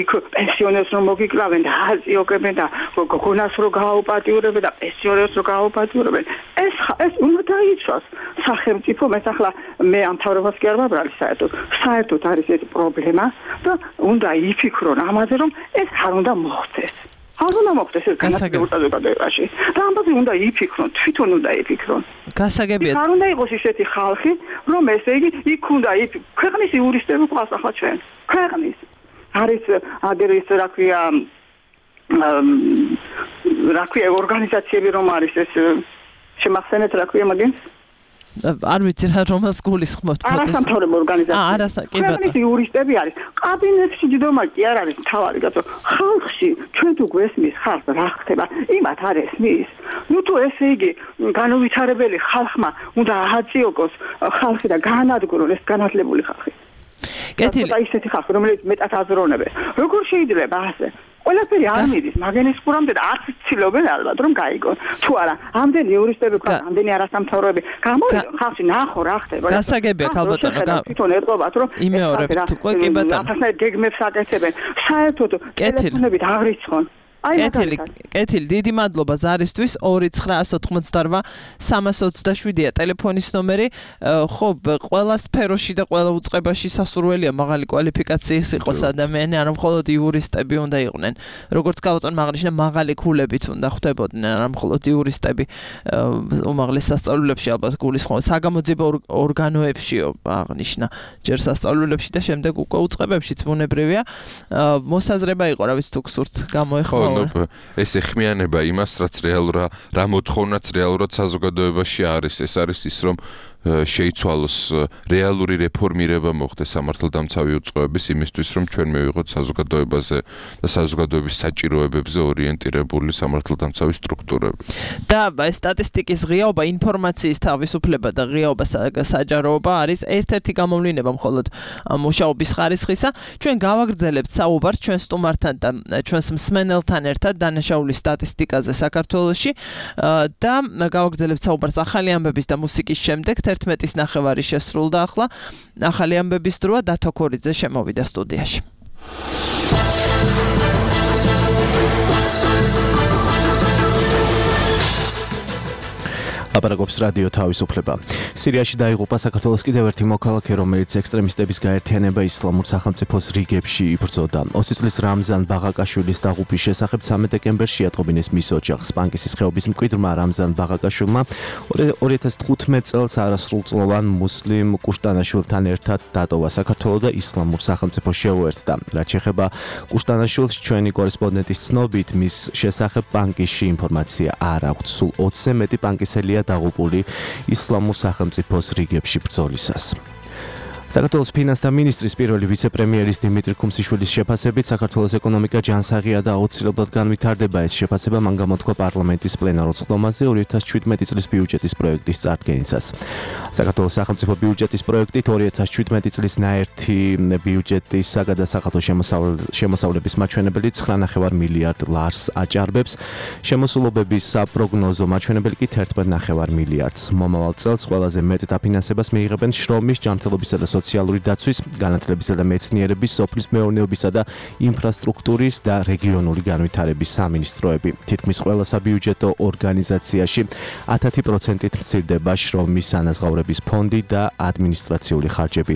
იქ პენსიონერს რომ მოგიკლავენ და აზიოგებენ და გოგონას რომ გააუპატიურებენ და პენსიონერს რომ გააუპატიურებენ. ეს ეს უნდა დაიცვას სახელმწიფო, მე ახლა მე ამ თავრობას კი არ ვაბრალი საერთოდ. საერთოდ არის ეს პრობლემა და უნდა იფიქრონ ამაზე რომ ეს არ უნდა მოხდეს. არ უნდა მოხდეს ეს განათლებულ საზოგადოებაში. და ამაზე უნდა იფიქრონ, თვითონ უნდა იფიქრონ. გასაგებია. არ უნდა იყოს ისეთი ხალხი, რომ ესე იგი იქ უნდა ქვეყნის იურისტები ყავს ახლა ჩვენ. ქვეყნის არის აგერის რა ქვია რა ქვია ორგანიზაციები რომ არის ეს შემახსენეთ რა ქვია მაგენ არ ვიცი რა რომელს გულისხმობთ არასამთავრობო ორგანიზაცია. აა არასა კი ბატონო. ქვეყნის იურისტები არის. კაბინეტში დიდომა კი არ არის თავარი კაცო. ხალხში ჩვენ თუ გვესმის ხალხს რა ხდება? იმათ არ ესმის. ნუ თუ ესე იგი განუვითარებელი ხალხმა უნდა ააწიოკოს ხალხი და გაანადგურონ ეს განათლებული ხალხი. კეთილი. და ისეთი ხალხი რომელიც მეტად აზროვნებს. როგორ შეიძლება ასე? ყველაფერი არ მიდის მაგენის ყურამდე და არც ცდილობენ ალბათ რომ გაიგონ. თუ არა, ამდენი იურისტები ყავს, ამდენი არასამთავროები. გამოვიდონ ხალხი ნახო რა ხდება. გასაგებია ქალბატონო, თვითონ ეტყობათ რომ იმეორებთ უკვე კი ბატონო. ახლა გეგმებს აკეთებენ. საერთოდ ტელეფონებით აღრიცხონ. კეთილი, კეთილი, დიდი მადლობა ზარისთვის ორი ცხრა ოთხმოცდაოთხ სამას ოცდაშვიდია ტელეფონის ნომერი. ხო, ყველა სფეროში და ყველა უწყებაში სასურველია მაღალი კვალიფიკაციის იყოს ადამიანი, არა მხოლოდ იურისტები უნდა იყვნენ. როგორც გავუტონ აღნიშნა მაღალი ქულებით უნდა ხვდებოდნენ, არა მხოლოდ იურისტები უმაღლეს სასწავლებლებში ალბათ გულისხმობ, საგამოძიებო ორგანოებშიო აღნიშნა, ჯერ სასწავლებლებში და შემდეგ უკვე უწყებებშიც ბუნებრივია. მოსაზრება იყო, რა ვიცი თუ გსურთ გამოეხმო ვიმეორებ ეს ეხმიანება იმას, რაც რეალურად, რა მოთხოვნაც რეალურად საზოგადოებაში არის. ეს არის ის, რომ შეიცვალოს რეალური რეფორმირება მოხდეს სამართალდამცავი უწყოების იმისთვის, რომ ჩვენ მივიღოთ საზოგადოებაზე და საზოგადოების საჭიროებებზე ორიენტირებული სამართალდამცავი სტრუქტურები. და სტატისტიკის ღიაობა, ინფორმაციის თავისუფლება და ღიაობა საჯაროობა არის ერთ-ერთი გამოვლინება მხოლოდ მუშაობის ხარისხისა. ჩვენ გავაგრძელებთ საუბარს ჩვენ სტუმართან და ჩვენს მსმენელთან ერთად დანაშაულის სტატისტიკაზე საქართველოში და გავაგრძელებთ საუბარს ახალი ამბების და მუსიკის შემდეგ. ერთმეტის ნახევარი შესრულდა ახლა. ახალი ამბების დროა დათო ქორიძე შემოვიდა სტუდიაში. აპარაკობს რადიო თავისუფლება. სირიაში დაიღუპა საქართველოს კიდევ ერთი მოქალაქე, რომელიც ექსტრემისტების გაერთიანება ისლამურ სახელმწიფოს რიგებში იბრძოდა. ოცი წლის რამზან ბაღაკაშვილის დაღუპვის შესახებ სამი დეკემბერში ატყობინეს მის ოჯახს. პანკისის ხეობის მკვიდრმა რამზან ბაღაკაშვილმა ორი ათას თხუთმეტ წელს არასრულწლოვან მუსლიმ კუშტანაშვილთან ერთად დატოვა საქართველო და ისლამურ სახელმწიფოს შეუერთდა. რაც შეეხება კუშტანაშვილს, ჩვენი კორესპონდენტის ცნობით, მის შესახებ პანკისში ინფორმაცია არ აქვს. სულ ოცზე მეტი პანკისელია დაღუპული ისლამურ სახელმწიფოს რიგებში ბრძოლისას. საქართველოს ფინანსთა მინისტრის პირველი ვიცე-პრემიერის დიმიტრი ქუმსიშვილის შეფასებით საქართველოს ეკონომიკა ჯანსაღია და აუცილებლად განვითარდება. ეს შეფასება მან გამოთქვა პარლამენტის პლენარულ სხდომაზე ორი ათას შვიდმეტი წლის ბიუჯეტის პროექტის წარდგენისას. საქართველოს სახელმწიფო ბიუჯეტის პროექტით ორი ათას შვიდმეტი წლის ნაერთი ბიუჯეტის საგადასახადო შემოსავლების მაჩვენებელი ცხრა ნახევარ მილიარდ ლარს აჭარბებს. შემოსულობების საპროგნოზო მაჩვენებელი კი თერთმეტ ნახევარ მილიარდს. მომავალ წელს ყველაზე მეტ დაფინანსებას მიიღებენ შრომის, ჯანმრთელობისა და სოციალური დაცვის, განათლებისა და მეცნიერების, სოფლის მეურნეობისა და ინფრასტრუქტურის და რეგიონული განვითარების სამინისტროები. თითქმის ყველა საბიუჯეტო ორგანიზაციაში ათი პროცენტით მცირდება შრომის ანაზღაურების ფონდი და ადმინისტრაციული ხარჯები.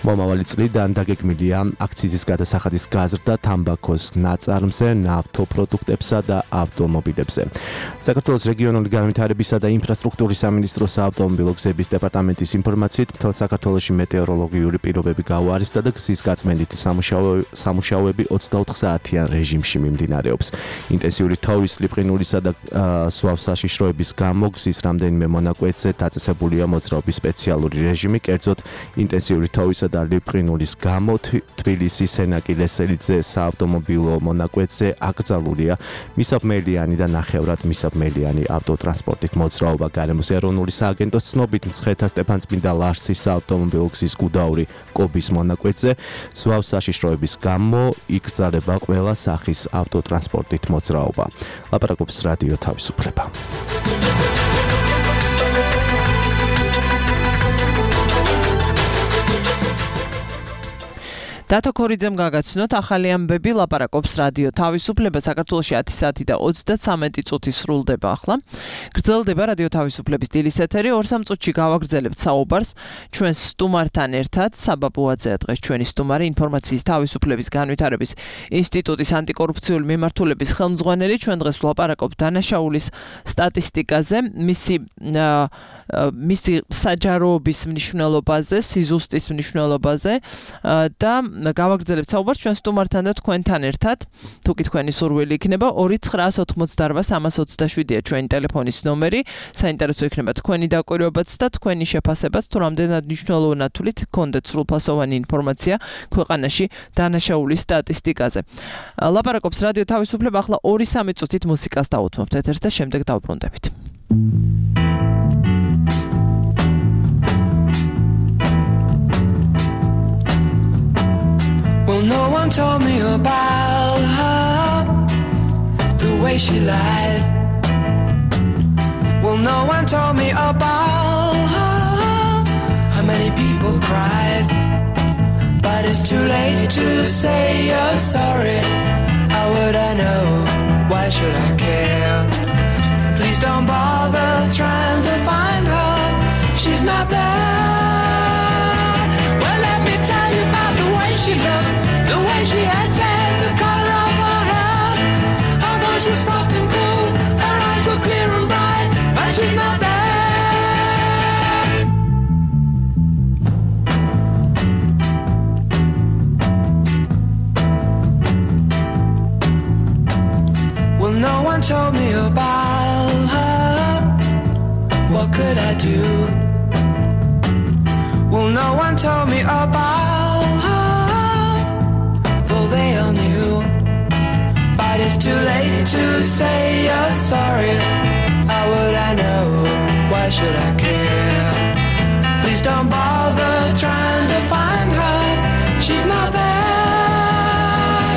მომავალი წლიდან დაგეგმილია აქციზის გადასახადის გაზრდა თამბაქოს ნაწარმზე, ნავთობპროდუქტებსა და ავტომობილებზე. საქართველოს რეგიონული განვითარებისა და ინფრასტრუქტურის სამინისტროს საავტომობილო გზების დეპარტამენტის ინფორმაციით, მთელ საქართველოში მეტეოროლოგიური პირობები გაუარესდა და გზის გაწმენდითი სამუშაოები ოცდაოთხ საათიან რეჟიმში მიმდინარეობს. ინტენსიური თოვის, ლიპყინულისა და სვავ საშიშროების გამო გზის რამდენიმე მონაკვეთზე დაწესებულია მოძრაობის სპეციალური რეჟიმი. კერძოდ, ინტენსიური თოვისა და ლიპყინულის გამო თბილისის სენაკი ლესელიძე საავტომობილო მონაკვეთზე აკრძალულია მისაბმელიანი და ნახევრად მისაბმელიანი ავტოტრანსპორტით მოძრაობა. გარემოს ეროვნული სააგენტოს ცნობით, მცხეთა სტეფანწმინდა ლარსის საავტომობილო გზის გუდაური კობის მონაკვეთზე ზვავ საშიშროების გამო იკრძალება ყველა სახის ავტოტრანსპორტით მოძრაობა. ლაპარაკობს რადიო თავისუფლება. დათო ქორიძემ გაგაცნოთ ახალი ამბები. ლაპარაკობს რადიო თავისუფლება. საქართველოში ათი საათი და ოცდათვრამეტი წუთი სრულდება ახლა. გრძელდება რადიო თავისუფლების დილის ეთერი. ორ სამ წუთში გავაგრძელებთ საუბარს ჩვენ სტუმართან ერთად. საბა ბუაძეა დღეს ჩვენი სტუმარი, ინფორმაციის თავისუფლების განვითარების ინსტიტუტის ანტიკორუფციული მიმართულების ხელმძღვანელი. ჩვენ დღეს ვლაპარაკობთ დანაშაულის სტატისტიკაზე, მისი მისი საჯაროობის მნიშვნელობაზე, სიზუსტის მნიშვნელობაზე და გავაგრძელებთ საუბარს ჩვენ სტუმართან და თქვენთან ერთად. თუკი თქვენი სურვილი იქნება, ორი ცხრაას ოცდაოთხ სამას ოცდაშვიდია ჩვენი ტელეფონის ნომერი. საინტერესო იქნება თქვენი დაკვირვებაც და თქვენი შეფასებაც, თუ რამდენად მნიშვნელოვანად თვლით გქონდეთ სრულფასოვანი ინფორმაცია ქვეყანაში დანაშაულის სტატისტიკაზე. ლაპარაკობს რადიო თავისუფლება. ახლა ორი სამი წუთით მუსიკას დავუთმობთ ეთერს და შემდეგ დავბრუნდებით. Well, no one told me about her, the way she lied. Well, no one told me about her, how many people cried. But it's too late to say you're sorry. How would I know? Why should I care? Please don't bother trying to find her. She's not there. Well, let me tell you about the way she looked, the way she acted, the color of her hair. Her voice was soft and cool, her eyes were clear and bright, but she's not there. could I do? Well, no one told me about, though they all knew. But it's too late to say you're sorry. How would I know? Why should I care? Please don't bother trying to find her. She's not there.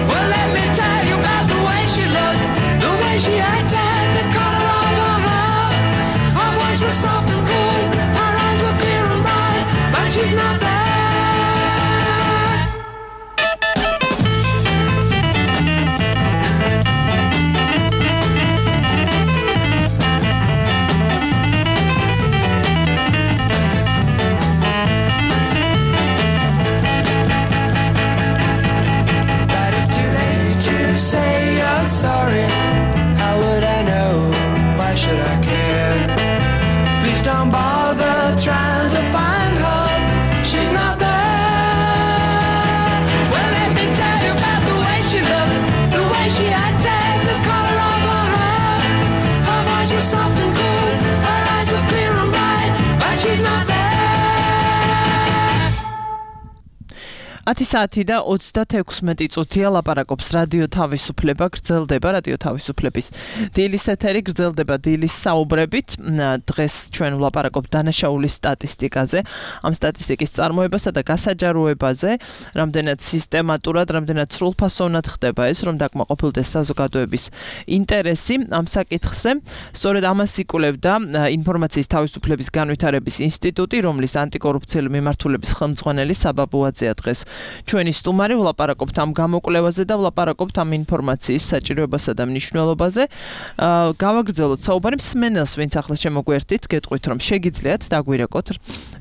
Well, let me tell you about the way she looked, the way she acted, the color of her hair. Her voice was soft and cool, her eyes were clear and bright, but she's not there. Say you're sorry. How would I know? Why should I care? Please don't bother trying to find her. She's not there. Well, let me tell you about the way she looked, the way she acted, the color of her hair. Her voice was soft and cool, her eyes were clear and bright, but she's not there. ათი საათი და ოცდათექვსმეტი წუთია ლაპარაკობს რადიო თავისუფლება, გრძელდება რადიო თავისუფლების დილის ეთერი, გრძელდება დილის საუბრებით. დღეს ჩვენ ვლაპარაკობთ დანაშაულის სტატისტიკაზე, ამ სტატისტიკის წარმოებასა და გასაჯაროებაზე, რამდენად სისტემატურად, რამდენად სრულფასოვნად ხდება ეს, რომ დაკმაყოფილდეს საზოგადოების ინტერესი ამ საკითხზე. სწორედ ამას იკვლევდა ინფორმაციის თავისუფლების განვითარების ინსტიტუტი, რომლის ანტიკორუფციული მიმართულების ხელმძღვანელი საბაბუაძეა დღეს ჩვენი სტუმარი. ვლაპარაკობთ ამ გამოკვლევაზე და ვლაპარაკობთ ამ ინფორმაციის საჭიროებასა და მნიშვნელობაზე. გავაგრძელოთ საუბარი მსმენელს, ვინც ახლა შემოგვერთით, გეტყვით რომ შეგიძლიათ დაგვირეკოთ,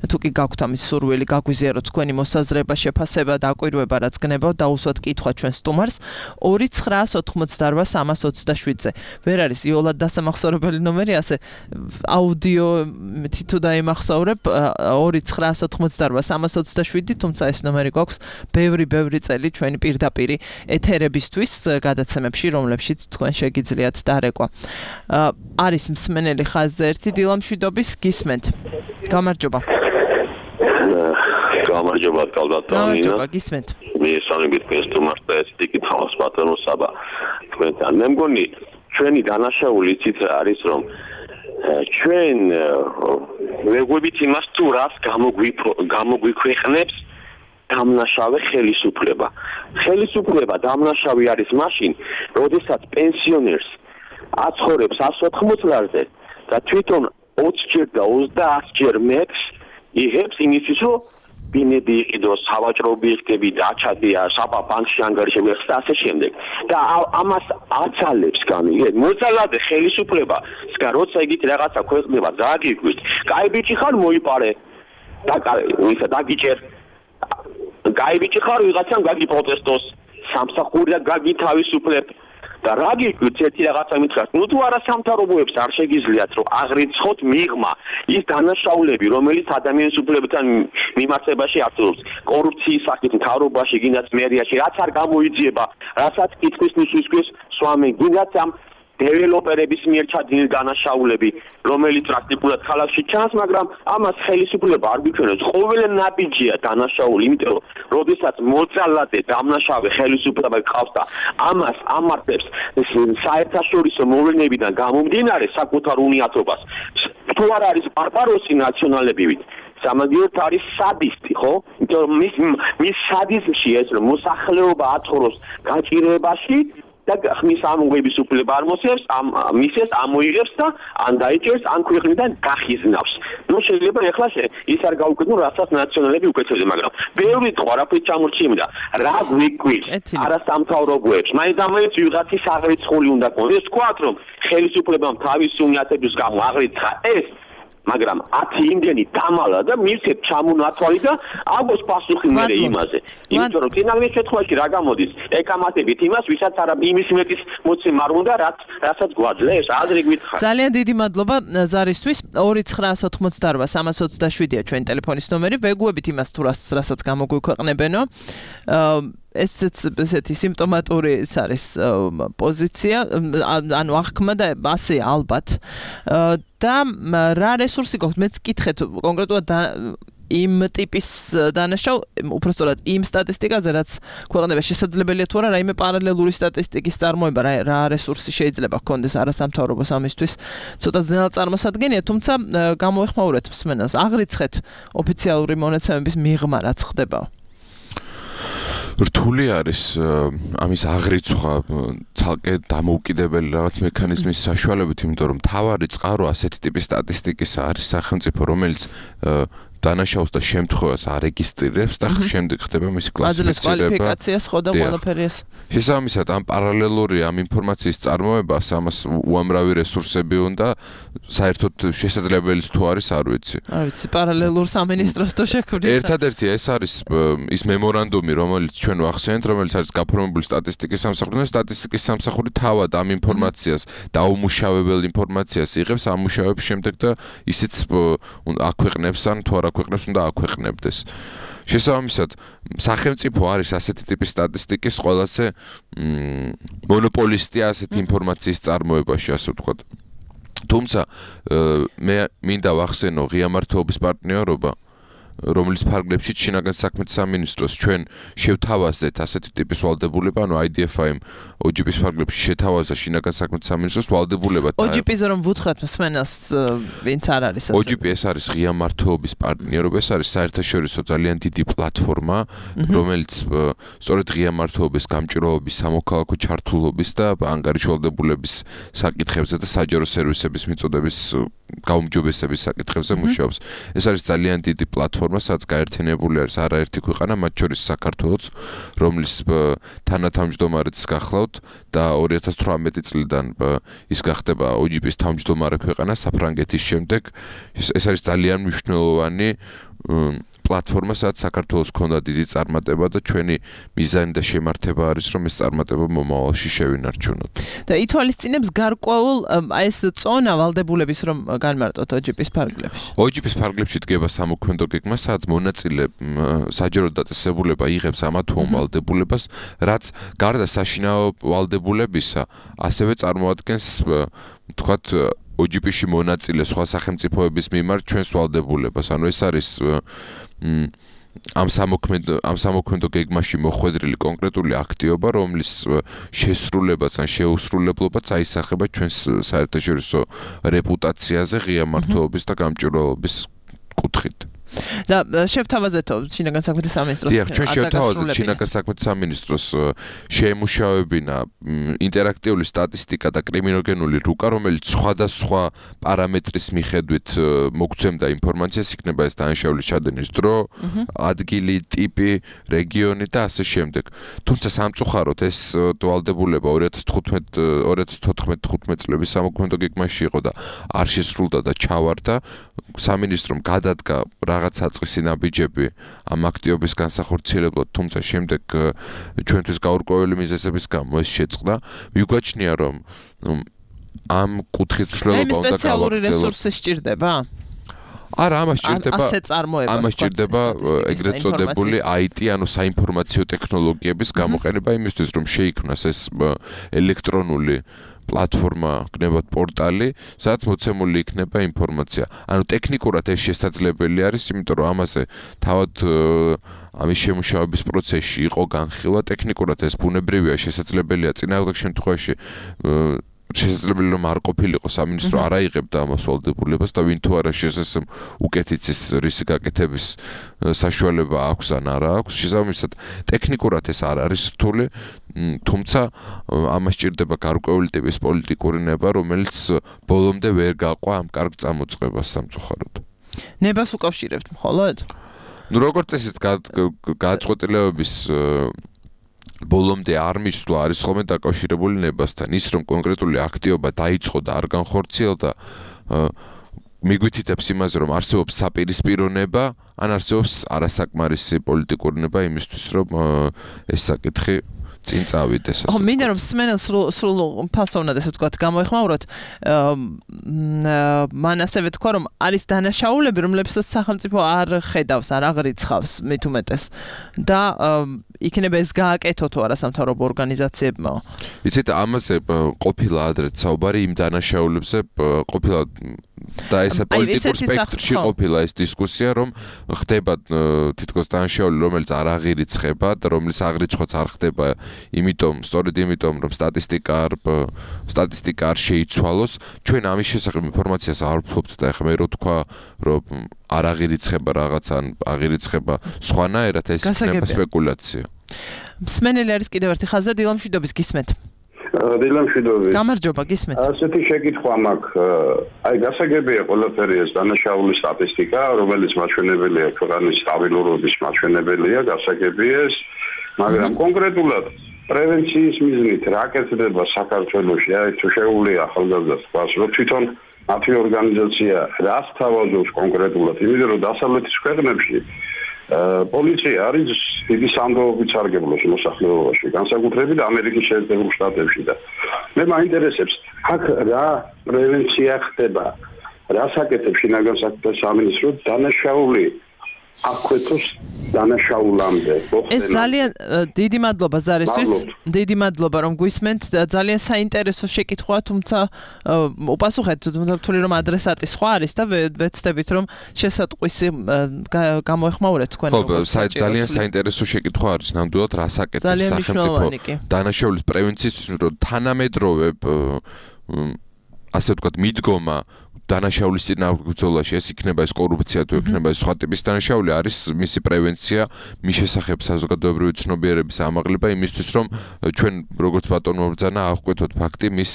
თუ კი გაქვთ ამის სურვილი, გაგვიზიაროთ თქვენი მოსაზრება, შეფასება, დაკვირვება, რაც გნებავთ, დაუსვათ კითხვა ჩვენ სტუმარს ორი ცხრაას ოთხმოცდარვა სამას ოცდაშვიდზე. ვერ არის იოლად დასამახსოვრებელი ნომერი, ასე აუდიო თითო დაიმახსოვრებ ორი ცხრაას ოთხმოცდარვა სამას ოცდაშვიდი, თუმცა ეს ნომერი გვაქვს ბევრი ბევრი წელი ჩვენი პირდაპირი ეთერებისთვის გადაცემებში, რომლებშიც თქვენ შეგიძლიათ დარეკვა. არის მსმენელი ხაზზე ერთი დილამშვიდობის, გისმენთ. გამარჯობა. გამარჯობა, კალბატონინა. გამარჯობა, გისმენთ. მიესალმებით თქვენს სტუმარს და ესეთი კითხავს ბატონო საბა. თქვენთან მე მგონი ჩვენი დანაშაული იცით არის რომ ჩვენ ვეღვებით იმას თუ რას გამოგვიქვეყნებს დამნაშავე ხელისუფლება. ხელისუფლება დამნაშავე არის მაშინ, როდესაც პენსიონერს აცხოვრებს εκατს ოთხმოცდაზე და თვითონ ოცჯერ და ოცდაათჯერ მეფს იღებს იმისთვის, რომ ბინები იყიდოს, სავაჭროები იქნები, დაჩადია, საბა ბანკში ანგარიშებს და ასე შემდეგ. და ამას აცალებს გამიგეთ. მოძალადე ხელისუფლება, სკა როცა იგით რაღაცა ქვეყნება, დააგიგვით. კაი ბიჭი ხარ მოიპარე. და ვისა დაგიჭერ. კაი ბიჭი ხარ ვიღაცამ გაგი პროტესტოს, სამსახური და გაგი თავისუფლებ. და რა გიგვით ერთი რაღაცა მითხრათ, ნუ თუ არა სამთავრობოებს არ შეგიძლიათ რომ აღრიცხოთ მიღმა ის დანაშაულები, რომელიც ადამიანის უფლებებთან მიმართებაში არსებობს, კორუფციის სახით მთავრობაში, გინდათ მერიაში, რაც არ გამოიძიება, რასაც კითხვის ნიშნისთვის სვამენ, გინდათ ამ დეველოპერების მიერ ჩადენილი დანაშაულები, რომელიც პრაქტიკულად ქალაქში ჩანს, მაგრამ ამას ხელისუფლება არ გვიჩვენებს. ყოველ ნაბიჯია დანაშაული, იმიტომ რომ როდესაც მოძალადე დამნაშავე ხელისუფლება გყავს და ამას ამართებს საერთაშორისო მოვლენებიდან გამომდინარე საკუთარ უნიათობას, თუ არ არის პარპაროსი ნაციონალებივით, სამაგიეროდ არის სადისტი, ხო? იმიტომ რომ მის მის სადიზმში ეს რომ მოსახლეობა აცხოვროს გაჭირებაში და ხმის ამოღების უფლება არ მოსიებს, ამ მისეს ამოიღებს და ან დაიჭერს, ან ქვეყნიდან გახიზნავს. ნუ შეიძლება ეხლა ის არ გაუკეთო, რასაც ნაციონალები უკეთებდნენ, მაგრამ ბევრი თქვა, რაფრით ჩამორჩიებდა, რა გვიგვით, არა სამთავრობოებს, მაინც-ამაინც ვიღაცის აღრიცხული უნდა კონდეს, თქვათ რომ ხელისუფლებამ თავის უნიათების გამო აღრიცხა ეს, მაგრამ ათი იმდენი დამალა და მივცეთ ჩამონათვალი და აგოს პასუხი მერე იმაზე. იმიტომ რომ ფინალურ შემთხვევაში რა გამოდის? ეკამათებით იმას, ვისაც არა იმის მეტის მოცემა არ უნდა, რაც რასაც გვაძლევს, ადრე გითხარ. ძალიან დიდი მადლობა ზარისთვის. ორი ცხრაას ოთხმოცდაოთხ სამას ოცდაშვიდია ჩვენი ტელეფონის ნომერი. ვეგუებით იმას თუ რასაც გამოგვიქვეყნებენო. ესეც ესეთი სიმპტომატური ეს არის პოზიცია, ანუ აღქმა და ასე ალბათ. და რა რესურსი გქონთ? მეც გითხეთ კონკრეტულად იმ ტიპის დანაშაულ, უბრალოდ იმ სტატისტიკაზე, რაც ქვეყნდება შესაძლებელია თუ არა რაიმე პარალელური სტატისტიკის წარმოება, რა რესურსი შეიძლება გქონდეს არასამთავრობოს ამისთვის. ცოტა ძნელად წარმოსადგენია, თუმცა გამოეხმაურეთ მსმენელს, აღრიცხეთ ოფიციალური მონაცემების მიღმა რაც ხდება. რთული არის ამის აღრიცხვა ცალკე დამოუკიდებელი რაღაც მექანიზმის საშუალებით, იმიტომ რომ თავარი წყარო ასეთი ტიპის სტატისტიკის არის სახელმწიფო, რომელიც დანაშაულს და შემთხვევას არეგისტრირებს და შემდეგ ხდება მისი კლასიფიცირება. კვალიფიკაციას ხო და ყველაფერს. შესაბამისად, ამ პარალელური ამ ინფორმაციის წარმოებას ამას უამრავი რესურსები უნდა, საერთოდ შესაძლებელიც თუ არის, არ ვიცი. არ ვიცი, პარალელურ სამინისტროს თუ შექმნით. ერთადერთი ეს არის ის მემორანდუმი, რომელიც ჩვენ ვახსენეთ, რომელიც არის გაფორმებული სტატისტიკის სამსახურიდან, სტატისტიკის სამსახური თავად ამ ინფორმაციას დაუმუშავებელ ინფორმაციას იღებს ამ მუშაობის შემდეგ და ისიც აქვეყნებს ან თუ არა აქვეყნებს უნდა აქვეყნებდეს. შესაბამისად, სახელმწიფო არის ასეთი ტიპის სტატისტიკის ყველაზე მონოპოლისტი ასეთი ინფორმაციის წარმოებაში, ასე ვთქვათ. თუმცა მე მინდა ვახსენო ღია მართლობის პარტნიორობა, რომლის ფარგლებში შინაგან საქმეთა სამინისტროს ჩვენ შევთავაზეთ ასეთი ტიპის ვალდებულება, ანუ I D F I-მ O G P-ის ფარგლებში შეთავაზა შინაგან საქმეთა სამინისტროს ვალდებულება. O G P-ზე რომ ვუთხრათ მსმენელს, ვინც არ არის ასე. O G P ეს არის ღია მართლობის პარტნიორობა, ეს არის საერთაშორისო ძალიან დიდი პლატფორმა, რომელიც სწორედ ღია მართლობის გამჭირვალობის, სამოქალაქო ჩართულობის და ანგარიშვალდებულების საკითხებზე და საჯარო სერვისების მიწოდების გაუმჯობესების საკითხებზე მუშაობს. ეს არის ძალიან დიდი პლატფორმა, სადაც გაერთიანებული არის არაერთი ქვეყანა, მათ შორის საქართველოც, რომლის თანათავმჯდომარეც გახლავთ და ორი ათას თვრამეტი წლიდან ის გახდება O G P-ის თავმჯდომარე ქვეყანა საფრანგეთის შემდეგ. ეს არის ძალიან მნიშვნელოვანი პლატფორმა, სადაც საქართველოს ჰქონდა დიდი წარმატება და ჩვენი მიზანი და შემართება არის, რომ ეს წარმატება მომავალში შევინარჩუნოთ. და ითვალისწინებს გარკვეულ აი ეს წონა ვალდებულების რომ განმარტოთ O G P-ის ფარგლებში. O G P-ის ფარგლებში დგება სამოქმედო გეგმა, სადაც მონაწილე საჯარო დაწესებულება იღებს ამა თუ ამ ვალდებულებას, რაც გარდა საშინაო ვალდებულებისა, ასევე წარმოადგენს თქვათ O G P-ში მონაწილე სხვა სახელმწიფოების მიმართ ჩვენს ვალდებულებას. ანუ ეს არის ამ სამოქმედო ამ სამოქმედო გეგმაში მოხვედრილი კონკრეტული აქტივობა, რომლის შესრულებაც ან შეუსრულებლობაც აისახება ჩვენს საერთაშორისო რეპუტაციაზე ღია მართლობის და გამჭვირვალობის კუთხით. და შევთავაზეთო შინაგან საქმეთა სამინისტროს. დიახ, ჩვენ შევთავაზეთ შინაგან საქმეთა სამინისტროს შეემუშავებინა ინტერაქტიული სტატისტიკა და კრიმინოგენული რუკა, რომელიც სხვადასხვა პარამეტრის მიხედვით მოგცემდა ინფორმაციას, იქნება ეს დანაშაულის ჩადენის დრო, ადგილი, ტიპი, რეგიონი და ასე შემდეგ. თუმცა სამწუხაროდ ეს ვალდებულება ორი ათას თოთხმეტ წლების სამოქმედო გეგმაში იყო და არ შესრულდა და ჩავარდა. სამინისტრომ გადადგა რაღაც საწყისი ნაბიჯები ამ აქტივობის განსახორციელებლად, თუმცა შემდეგ ჩვენთვის გაურკვეველი მიზეზების გამო ეს შეწყდა. მიგვაჩნია, რომ ამ კუთხით ცვლილება უნდა გავაგრძელოთ. სპეციალური რესურსი სჭირდება? არა, ამას სჭირდება ასე წარმოება. ამას სჭირდება ეგრეთ წოდებული I T, ანუ საინფორმაციო ტექნოლოგიების გამოყენება იმისთვის, რომ შეიქმნას ეს ელექტრონული პლატფორმა, გნებად პორტალი, სადაც მოცემული იქნება ინფორმაცია. ანუ ტექნიკურად ეს შესაძლებელი არის, იმიტომ რომ ამაზე თავად ამის შემუშავების პროცესში იყო განხილვა, ტექნიკურად ეს ბუნებრივია, შესაძლებელია წინააღმდეგ შემთხვევაში შესაძლებელი რომ არ ყოფილიყო სამინისტრო არ აიღებდა ამას ვალდებულებას და ვინ თუ არა შესაძლოა უკეთიცის რისი გაკეთების საშუალება აქვს ან არა აქვს. შესაბამისად, ტექნიკურად ეს არ არის რთული, თუმცა ამას სჭირდება გარკვეული ტიპის პოლიტიკური ნება, რომელიც ბოლომდე ვერ გაყვა ამ კარგ წამოწყებას სამწუხაროდ. ნებას უკავშირებთ მხოლოდ? ნუ როგორც წესით გადაწყვეტილებების ბოლომდე არ მისვლა არის ხოლმე დაკავშირებული ნებასთან. ის რომ კონკრეტული აქტივობა დაიწყო და არ განხორციელდა, მიგვითითებს იმაზე, რომ არსებობს საპირისპირო ნება, ან არსებობს არასაკმარისი პოლიტიკური ნება იმისთვის, რომ ეს საკითხი წინ წავიდეს. ხო, მინდა რომ სმენელს სრულ ფასოვნად ესე ვთქვათ გამოეხმაუროთ. მან ასევე თქვა, რომ არის დანაშაულები, რომლებსაც სახელმწიფო არ ხედავს, არ აღრიცხავს მით უმეტეს და იქნება ეს გააკეთო თუ არა სამთავრობო ორგანიზაციებმა. იცით, ამაზე ყოფილა ადრეც საუბარი იმ დანაშაულებზე, ყოფილა და ესა პოლიტიკურ სპექტრში ყოფილა ეს დისკუსია, რომ ხდება თითქოს დანაშაული, რომელიც არ აღირიცხება და რომლის აღრიცხვაც არ ხდება, იმიტომ, სწორედ იმიტომ, რომ სტატისტიკა არ სტატისტიკა არ შეიცვალოს, ჩვენ ამის შესახებ ინფორმაციას არ ვფლობთ და ეხლა მე რო თქვა, რომ არ აღირიცხება რაღაც ან აღირიცხება სხვანაირად, ეს იქნება სპეკულაცია. მსმენელი არის კიდევ ერთი ხაზი, დილა მშვიდობის გისმენთ. დილა მშვიდობის. გამარჯობა, გისმენთ. ასეთი შეკითხვა მაქვს. აი, გასაგებია ყველაფერი ეს დანაშაულის სტატისტიკა, რომელიც მაჩვენებელია ქვეყნის სტაბილურობის მაჩვენებელია, გასაგებია ეს, მაგრამ კონკრეტულად პრევენციის მიზნით რა კეთდება საქართველოში, აი თუ შეუძლია ახალგაზრდას თქვას, რომ თვითონ მათი ორგანიზაცია რას თავაზობს კონკრეტულად, იმიტომ რომ დასავლეთის ქვეყნებში პოლიცია არის დიდი სამდაობით სარგებლობს მოსახლეობაში, განსაკუთრებით ამერიკის შეერთებულ შტატებში და მე მაინტერესებს, აქ რა პრევენცია ხდება, რას აკეთებს შინაგან საქმეთა სამინისტრო დანაშაული აფხეთოს დანაშაულამდე. ეს ძალიან დიდი მადლობა ზარისთვის. დიდი მადლობა რომ გვისმენთ. ძალიან საინტერესო შეკითხვაა, თუმცა უპასუხეთ, თუმცა ვთვლი რომ ადრესატი სხვა არის და ვეცდებით რომ შესატყვისი გამოეხმაურეთ თქვენ. ხო, ძალიან საინტერესო შეკითხვა არის, ნამდვილად რას აკეთებს სახელმწიფო დანაშაულის პრევენციისთვის, რომ თანამედროვე ასე ვთქვათ მიდგომა დანაშაულის წინააღმდეგობაში ეს იქნება ეს კორუფცია თუ იქნება ეს სხვა ტიპის დანაშაული არის მისი პრევენცია მის შესახებ საზოგადოებრივი ცნობიერების ამაღლება იმისთვის რომ ჩვენ როგორც ბატონო ბრძანა აღკვეთოთ ფაქტი მის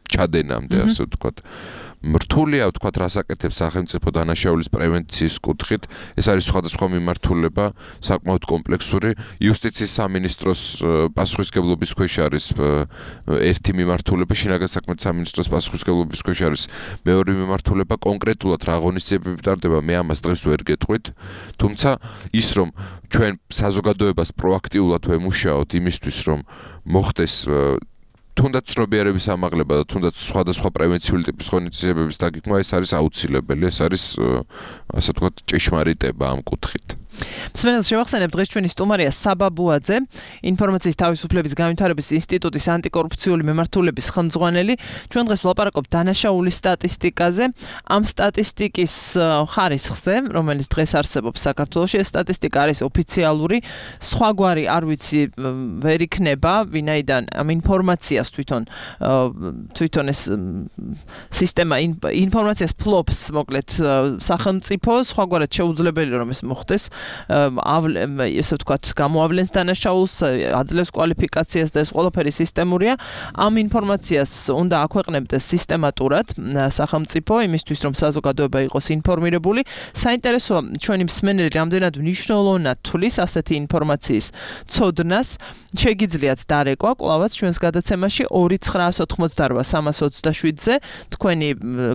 ჩადენამდე ასე ვთქვათ მრთულია ვთქვათ რას აკეთებს სახელმწიფო დანაშაულის პრევენციის კუთხით ეს არის სხვადასხვა მიმართულება საკმაოდ კომპლექსური იუსტიციის სამინისტროს პასუხისმგებლობის ქვეშ არის ერთი მიმართულება შინაგან საქმეთა სამინისტროს პასუხისმგებლობის ქვეშ არის მეორე მიმართულება კონკრეტულად რა ღონისძიებები ტარდება მე ამას დღეს ვერ გეტყვით თუმცა ის რომ ჩვენ საზოგადოებას პროაქტიულად ვემუშაოთ იმისთვის რომ მოხდეს თუნდაც ცნობიერების ამაღლება და თუნდაც სხვადასხვა პრევენციული ტიპის ღონისძიებების დაგეგმვა ეს არის აუცილებელი ეს არის ასე ვთქვათ ჭეშმარიტება ამ კუთხით მსმენელს შევახსენებ დღეს ჩვენი სტუმარია საბა ბუაძე ინფორმაციის თავისუფლების განვითარების ინსტიტუტის ანტიკორუფციული მემართულების ხელმძღვანელი ჩვენ დღეს ვლაპარაკობთ დანაშაულის სტატისტიკაზე ამ სტატისტიკის ხარისხზე რომელიც დღეს არსებობს საქართველოში ეს სტატისტიკა არის ოფიციალური სხვაგვარი არ ვიცი ვერ იქნება ვინაიდან ამ ინფორმაციას თვითონ თვითონ ეს სისტემა ინფორმაციას ფლობს მოკლედ სახელმწიფო სხვაგვარად შეუძლებელი რომ ეს მოხდეს ესე ვთქვათ გამოავლენს დანაშაულს აძლევს კვალიფიკაციას და ეს ყველაფერი სისტემურია ამ ინფორმაციას უნდა აქვეყნებდეს სისტემატურად სახელმწიფო იმისთვის რომ საზოგადოება იყოს ინფორმირებული საინტერესოა ჩვენი მსმენელი რამდენად მნიშვნელოვნად თulis ასეთი ინფორმაციის ცოდნას შეგიძლიათ დარეკვა კვლავაც ჩვენს გადაცემაში ორი ცხრაას ოთხმოცდაორ სამას ოცდაშვიდზე თქვენი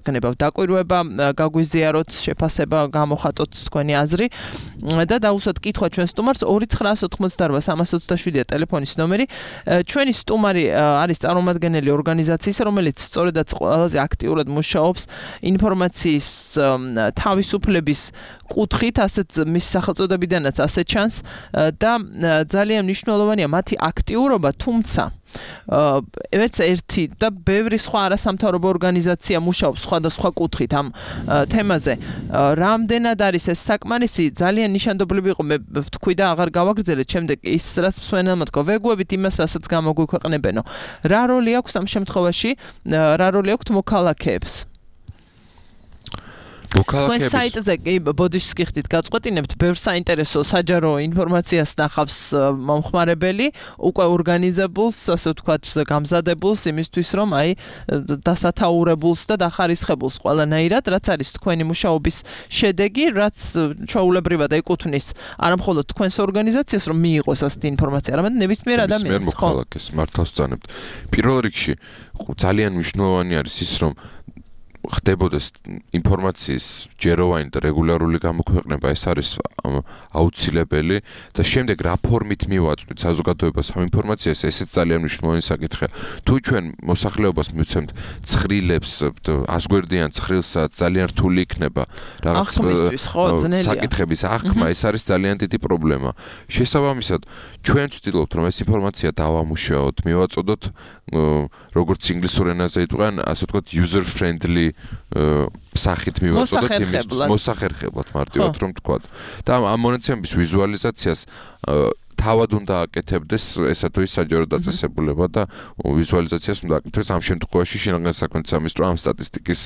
გნებავ დაკვირვება გაგვიზიაროთ შეფასება გამოხატოთ თქვენი აზრი და დაუსვათ კითხვა ჩვენ სტუმარს ორი ცხრაას ოთხმოცდაორ სამას ოცდაშვიდია ტელეფონის ნომერი ჩვენი სტუმარი არის წარმომადგენელი ორგანიზაციის რომელიც სწორედაც ყველაზე აქტიურად მუშაობს ინფორმაციის თავისუფლების კუთხით ასეთ მის სახელწოდებიდანაც ასე ჩანს და ძალიან მნიშვნელოვანია მათი აქტიურობა თუმცა ერთ ერთი და ბევრი სხვა არასამთავრობო ორგანიზაცია მუშაობს სხვადასხვა კუთხით ამ თემაზე რამდენად არის ეს საკმარისი ძალიან ნიშანდობლივი იყო მე ვთქვი და აღარ გავაგრძელეთ შემდეგ ის რაც მსმენელმა თქვა ვეგუებით იმას რასაც გამოგვიქვეყნებენო რა როლი აქვს ამ შემთხვევაში რა როლი აქვს მოქალაქეებს თქვენ საიტზე კი ბოდიშს გიხდით გაწყვეტინებთ ბევრ საინტერესო საჯარო ინფორმაციას ნახავს მომხმარებელი უკვე ორგანიზებულს ასე ვთქვათ გამზადებულს იმისთვის რომ აი დასათაურებულს და დახარისხებულს ყველანაირად რაც არის თქვენი მუშაობის შედეგი რაც ჩვეულებრივად ეკუთვნის არამხოლოდ თქვენს ორგანიზაციას რომ მიიღოს ასეთი ინფორმაცია არამედ ნებისმიერ ადამიანს ხო მოქალაქეს მართავს ძანებთ პირველ რიგში ძალიან მნიშვნელოვანი არის ის რომ ხდებოდეს ინფორმაციის ჯეროვანი და რეგულარული გამოქვეყნება ეს არის აუცილებელი და შემდეგ რა ფორმით მივაწვდით საზოგადოებას ამ ინფორმაციას ესეც ძალიან მნიშვნელოვანი საკითხია თუ ჩვენ მოსახლეობას მივცემთ ცხრილებს ასგვერდიან ცხრილსაც ძალიან რთული იქნება რაღაც საკითხების აღქმა ეს არის ძალიან დიდი პრობლემა შესაბამისად ჩვენ ვცდილობთ რომ ეს ინფორმაცია დავამუშაოთ მივაწოდოთ როგორც ინგლისურ ენაზე იტყვიან ასე ვთქვათ user friendly სახით მივაწოდოთ იმის მოსახერხებლად მარტივად რომ თქვა. და ამ მონაცემების ვიზუალიზაციას თავად უნდა აკეთებდეს ესა თუ ის საჯარო დაწესებულება და ვიზუალიზაციას უნდა აკეთებს ამ შემთხვევაში შინაგან საქმეთა სამინისტრო ამ სტატისტიკის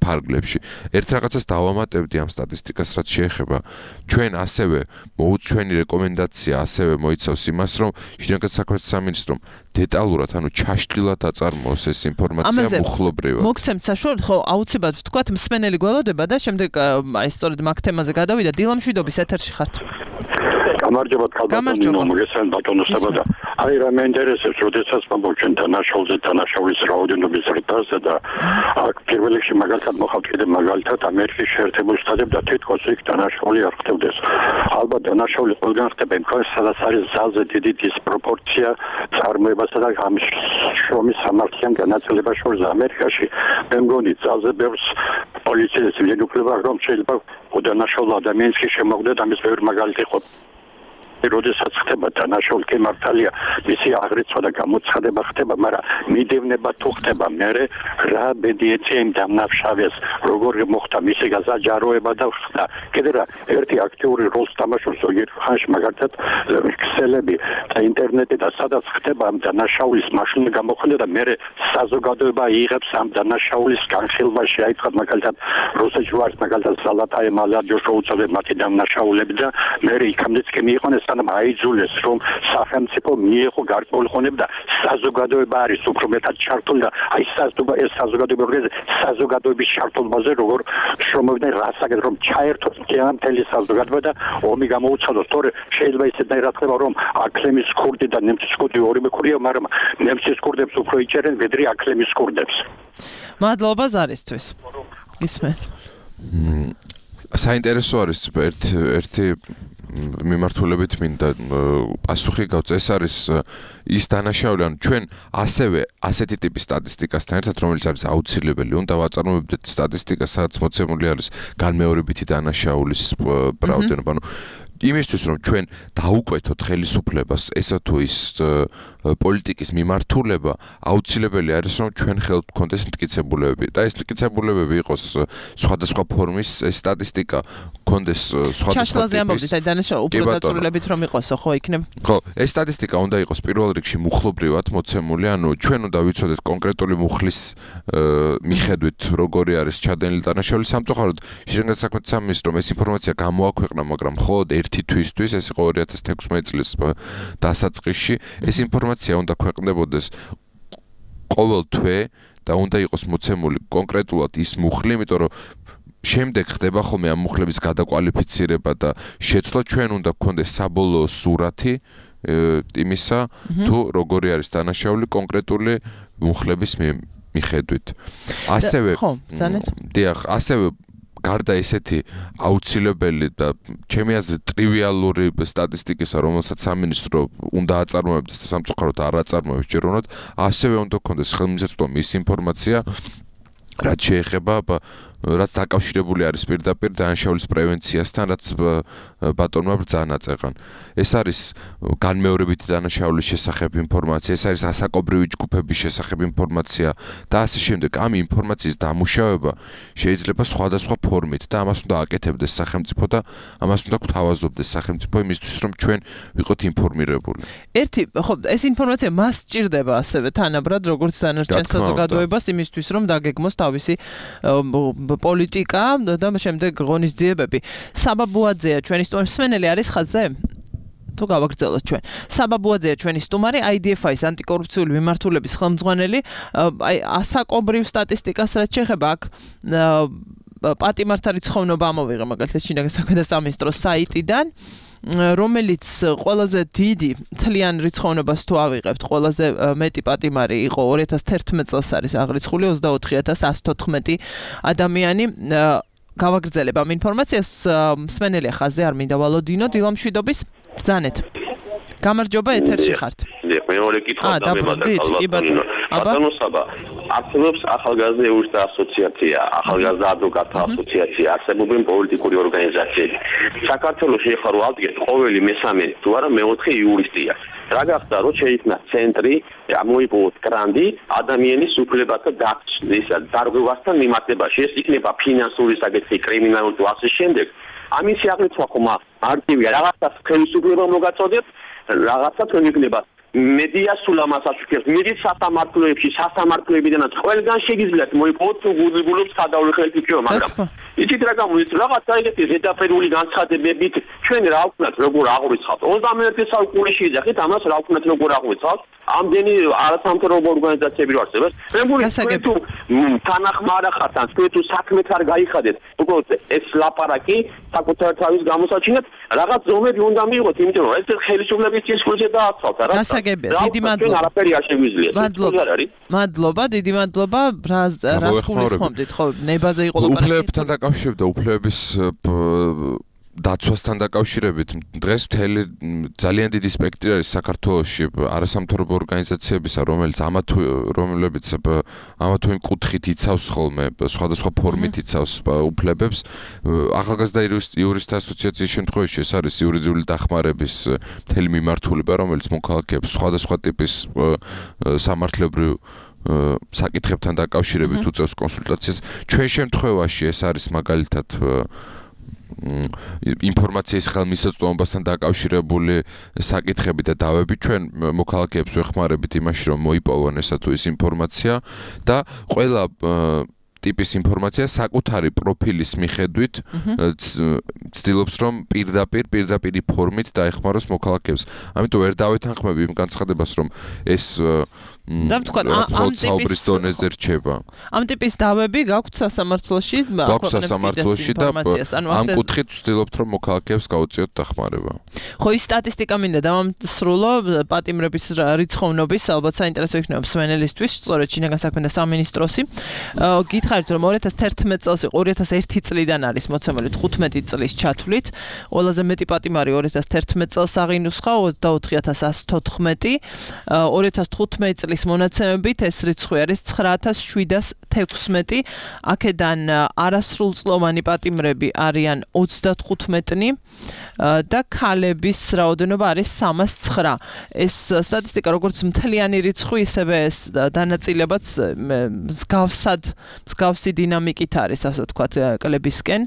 ფარგლებში. ერთ რაღაცას დავამატებდი ამ სტატისტიკას, რაც შეეხება ჩვენ ასევე ჩვენი რეკომენდაცია ასევე მოიცავს იმას, რომ შინაგან საქმეთა სამინისტრომ დეტალურად, ანუ ჩაშლილად აწარმოოს ეს ინფორმაცია მუხლობრივად. მოგცემთ საშუალებას, ხო, აუცილებლად ვთქვათ, მსმენელი გველოდება და შემდეგ აი სწორედ მაგ თემაზე გადავიდა. დილა მშვიდობის ეთერში ხართ. გამარჯობა ქალბატონო, მოგესალმებით ბატონოსებო და აი რა მე ინტერესებს, როდესაც მომბო ჩვენ დანაშაულზე დანაშაულის რაოდენობის ზრდაზე და აქ პირველ რიგში მაგალითად მოხავთ კიდე მაგალითად ამერიკის შეერთებულ შტატებში და თითქოს იქ დანაშაული არ ხდებდეს. ალბათ დანაშაული ყველგან ხდება, იმ ქვეყანაში სადაც არის ძალზე დიდი დისპროპორცია წარმოებასა და ამ შრომის სამართლიან განაწილებას შორის ამერიკაში. მე მგონი ძალზე ბევრს პოლიციის ვიენუკლება რომ შეიძლება უდანაშაულ ადამიანს კი შემოგვდეთ ამის ბევრი მაგალითი ხო როდესაც ხდება დანაშაული კი მართალია მისი აღრიცხვა და გამოცხადება ხდება, მაგრამ მიდევნება თუ ხდება მე რა ბედი ეწია იმ დამნაშავეს როგორ მოხდა მისი გაზაჯაროება და ხდა კიდე რა ერთი აქტიური როლს თამაშობს ზოგიერთ ხანში მაგალითად ქსელები და ინტერნეტი და სადაც ხდება ამ დანაშაულის მაშინ გამოხდა და მე საზოგადოება იღებს ამ დანაშაულის განხილვაში აი თქვა მაგალითად რუსეთში ვარ მაგალითად სალათაე მალარჯო შეუწოდებ მათი დამნაშაულები და მე იქამდეც კი მიიყვანეს სანამ აიძულეს რომ სახელმწიფო მიიღო გარკვეული ხონები და საზოგადოება არის უფრო მეტად ჩართული და აი ეს საზოგადოება საზოგადოების ჩართულობაზე როგორ შრომობდნენ რასაკეთ რომ ჩაერთოს მთელი საზოგადოება და ომი გამოუცხადოს თორე შეიძლება ისეთნაირად ხდება რომ აკლემის ქურდი და ნემცის ქურდი ორივე ქურია მაგრამ ნემცის ქურდებს უფრო იჭერენ ვიდრე აკლემის ქურდებს მადლობა ზარისთვის ისმენ საინტერესო არის ერთ ერთი მიმართულებით მინდა პასუხი გავწე ეს არის ის დანაშაული ანუ ჩვენ ასევე ასეთი ტიპის სტატისტიკასთან ერთად რომელიც არის აუცილებელი უნდა ვაწარმოებდეთ სტატისტიკას სადაც მოცემული არის განმეორებითი დანაშაულის რაოდენობა ანუ იმისთვის რომ ჩვენ დაუკვეთოთ ხელისუფლებას ესა თუ ის პოლიტიკის მიმართულება აუცილებელი არის რომ ჩვენ ხელთ გქონდეს მტკიცებულებები და ეს მტკიცებულებები იყოს სხვადასხვა ფორმის სტატისტიკა გქონდეს სხვადასხვა ჩაშლაზე ამბობთ აი დანაშაული უფრო დაწურილებით რომ იყოსო ხო იქნებ ხო ეს სტატისტიკა უნდა იყოს პირველ რიგში მუხლობრივად მოცემული ანუ ჩვენ უნდა ვიცოდეთ კონკრეტული მუხლის მიხედვით როგორი არის ჩადენილი დანაშაული სამწუხაროდ შინაგან საქმეთა სამინისტრომ ეს ინფორმაცია გამოაქვეყნა მაგრამ მხოლოდ ერთი თვისთვის ეს იყო ორი ათას თექვსმეტ წლის დასაწყისში ეს ინფორმაცია უნდა ქვეყნდებოდეს ყოველ თვე და უნდა იყოს მოცემული კონკრეტულად ის მუხლი იმიტომ რომ შემდეგ ხდება ხოლმე ამ მუხლების გადაკვალიფიცირება და შეცვლა ჩვენ უნდა გქონდეს საბოლოო სურათი იმისა თუ როგორი არის დანაშაული კონკრეტული მუხლების მიხედვით ასევე ხო ძალიან დიახ ასევე გარდა ესეთი აუცილებელი და ჩემი აზრით ტრივიალური სტატისტიკისა, რომელსაც სამინისტრო უნდა აწარმოებდეს და სამწუხაროდ არ აწარმოებს ჯერ უნდა, ასევე უნდა გქონდეს ხელმისაწვდომი ის ინფორმაცია, რაც შეეხება რაც დაკავშირებული არის პირდაპირ დანაშაულის პრევენციასთან, რაც ბატონმა ბრძანა წეღან. ეს არის განმეორებითი დანაშაულის შესახებ ინფორმაცია, ეს არის ასაკობრივი ჯგუფების შესახებ ინფორმაცია და ასე შემდეგ. ამ ინფორმაციის დამუშავება შეიძლება სხვადასხვა ფორმით და ამას უნდა აკეთებდეს სახელმწიფო და ამას უნდა გვთავაზობდეს სახელმწიფო იმისთვის, რომ ჩვენ ვიყოთ ინფორმირებული. ერთი, ხო, ეს ინფორმაცია მას სჭირდება ასევე თანაბრად, როგორც დანარჩენ საზოგადოებას იმისთვის, რომ დაგეგმოს თავისი პოლიტიკა და შემდეგ ღონისძიებები. საბაბუაძეა ჩვენი სტუმარი, მსმენელი არის ხაზზე? თუ გავაგრძელოთ ჩვენ. საბაბუაძეა ჩვენი სტუმარი, აი დი ეფ აის ანტიკორუფციული მიმართულების ხელმძღვანელი, აი ასაკობრივ სტატისტიკას რაც შეეხება აქ პატიმართა რიცხოვნობა ამოვიღე მაგალითად შინაგან საქმეთა სამინისტროს საიტიდან. რომელიც ყველაზე დიდი თლიან რიცხოვნობას თუ ავიღებთ, ყველაზე მეტი პატიმარი იყო ორი ათას თერთმეტ წელს არის აღრიცხული ოცდაოთხი ათას εκατს თოთხმეტი ადამიანი. გავაგრძელებ ამ ინფორმაციას, მსმენელია ხაზზე არ მინდა ვალოდინო, დილამშვიდობის ბრძანეთ. გამარჯობა ეთერში ხართ. შეგვიძლია მეორე კითხვა და მე მადლობა ბატონო საბა არსებობს ახალგაზრდა იურისტთა ასოციაცია ახალგაზრდა ადვოკატთა ასოციაცია არსებობენ პოლიტიკური ორგანიზაციები საქართველოში ეხლა რო ავდგეთ ყოველი მესამე თუ არა მეოთხე იურისტია რა გახდა რომ შეიქმნა ცენტრი გამოიპოვოთ გრანდი ადამიანის უფლებათა დაცვის დარღვევასთან მიმართებაში ეს იქნება ფინანსური საკითხი კრიმინალური თუ ასე შემდეგ ამის აღრიცხვა ხომ მარტივია რაღაცა ხელისუფლება მოგაწოდეთ რაღაცა თქვენ იქნება მედია სულ ამას აშუქებს მედიის სასამართლოებში სასამართლოებიდანაც ყველგან შეგიძლიათ მოიპოვოთ უგულებლობს გადავლეხებით იქნება მაგრამ იცით რა გამოიწ რაღაცა ეგეთი ზედაპირული განცხადებებით ჩვენ რა ვქნათ როგორ აღვიცხავთ ოცდამეერთე საუკუნეში იძახით ამას რა ვქნათ როგორ აღვიცხავთ ამდენი არასამთავრობო ორგანიზაციები რო არსებობს მე მგონი თუ თანახმარა ხართ ან თუ საქმეთ არ გაიხადეთ უბრალოდ ეს ლაპარაკი საკუთარ თავის გამოსაჩინეთ რაღაც ზომები უნდა მიიღოთ იმიტომ რომ ეს ხელისუფლების წინსვლზე დააცვალთ რა გასაგებია დიდი მადლობა არაფერი არ შეგვიძლია მადლობა მადლობა დიდი მადლობა რას რას გულისხმობდით ხო ნებაზე იყო ლაპარაკი უფლებებთან დაკავშირებით და უფლებების დაცვასთან დაკავშირებით დღეს მთელი ძალიან დიდი სპექტრი არის საქართველოში არასამთავრობო ორგანიზაციებისა რომელიც ამა თუ რომლებიც ამა თუ იმ კუთხით იცავს ხოლმე სხვადასხვა ფორმით იცავს უფლებებს ახალგაზრდა იურისტთა ასოციაციის შემთხვევაში ეს არის იურიდიული დახმარების მთელი მიმართულება რომელიც მოქალაქეებს სხვადასხვა ტიპის სამართლებრივ საკითხებთან დაკავშირებით უწევს კონსულტაციას ჩვენ შემთხვევაში ეს არის მაგალითად ინფორმაციის ხელმისაწვდომასთან დაკავშირებული საკითხები და დავები ჩვენ მოქალაქეებს ვეხმარებით იმაში რომ მოიპოვონ ესა თუ ის ინფორმაცია და ყველა ტიპის ინფორმაცია საკუთარი პროფილის მიხედვით ცდილობს რომ პირდაპირ პირდაპირი ფორმით დაეხმაროს მოქალაქეებს. ამიტომ ვერ დავეთანხმები იმ განცხადებას რომ ეს და ვთქვა ამ ტიპის დონეზე რჩება. ამ ტიპის დავები გაქვთ სასამართლოში, გაქვთ სასამართლოში და ამ კუთხით ვცდილობთ რომ მოქალაქეებს გავუწიოთ დახმარება. ხო ის სტატისტიკა მინდა დავამსრულო პატიმრების რიცხოვნობის ალბათ საინტერესო იქნება მსმენელისთვის, სწორედ შინაგან საქმეთა სამინისტროსი. გითხარით რომ ორი ათას თერთმეტ წელს იყო ორი ათას ერთი წლიდან არის მოცემული თხუთმეტი წლის ჩათვლით. ყველაზე მეტი პატიმარი ორი ათას თერთმეტ წელს აღინუსხა ოცდაოთხი ათას ასი თოთხმეტი. ორი ათას თხუთმეტი წლის მონაცემებით ეს რიცხვი არის ცხრა ათას შვიდას თექვსმეტი. აქედან არასრულწლოვანი პატიმრები არიან ოცდათხუთმეტნი და ქალების რაოდენობა არის სამას ცხრა. ეს სტატისტიკა როგორც მთლიანი რიცხვი, ისევე ეს დანაწილებაც მსგავსად მსგავსი დინამიკით არის, ასე ვთქვათ, კლებისკენ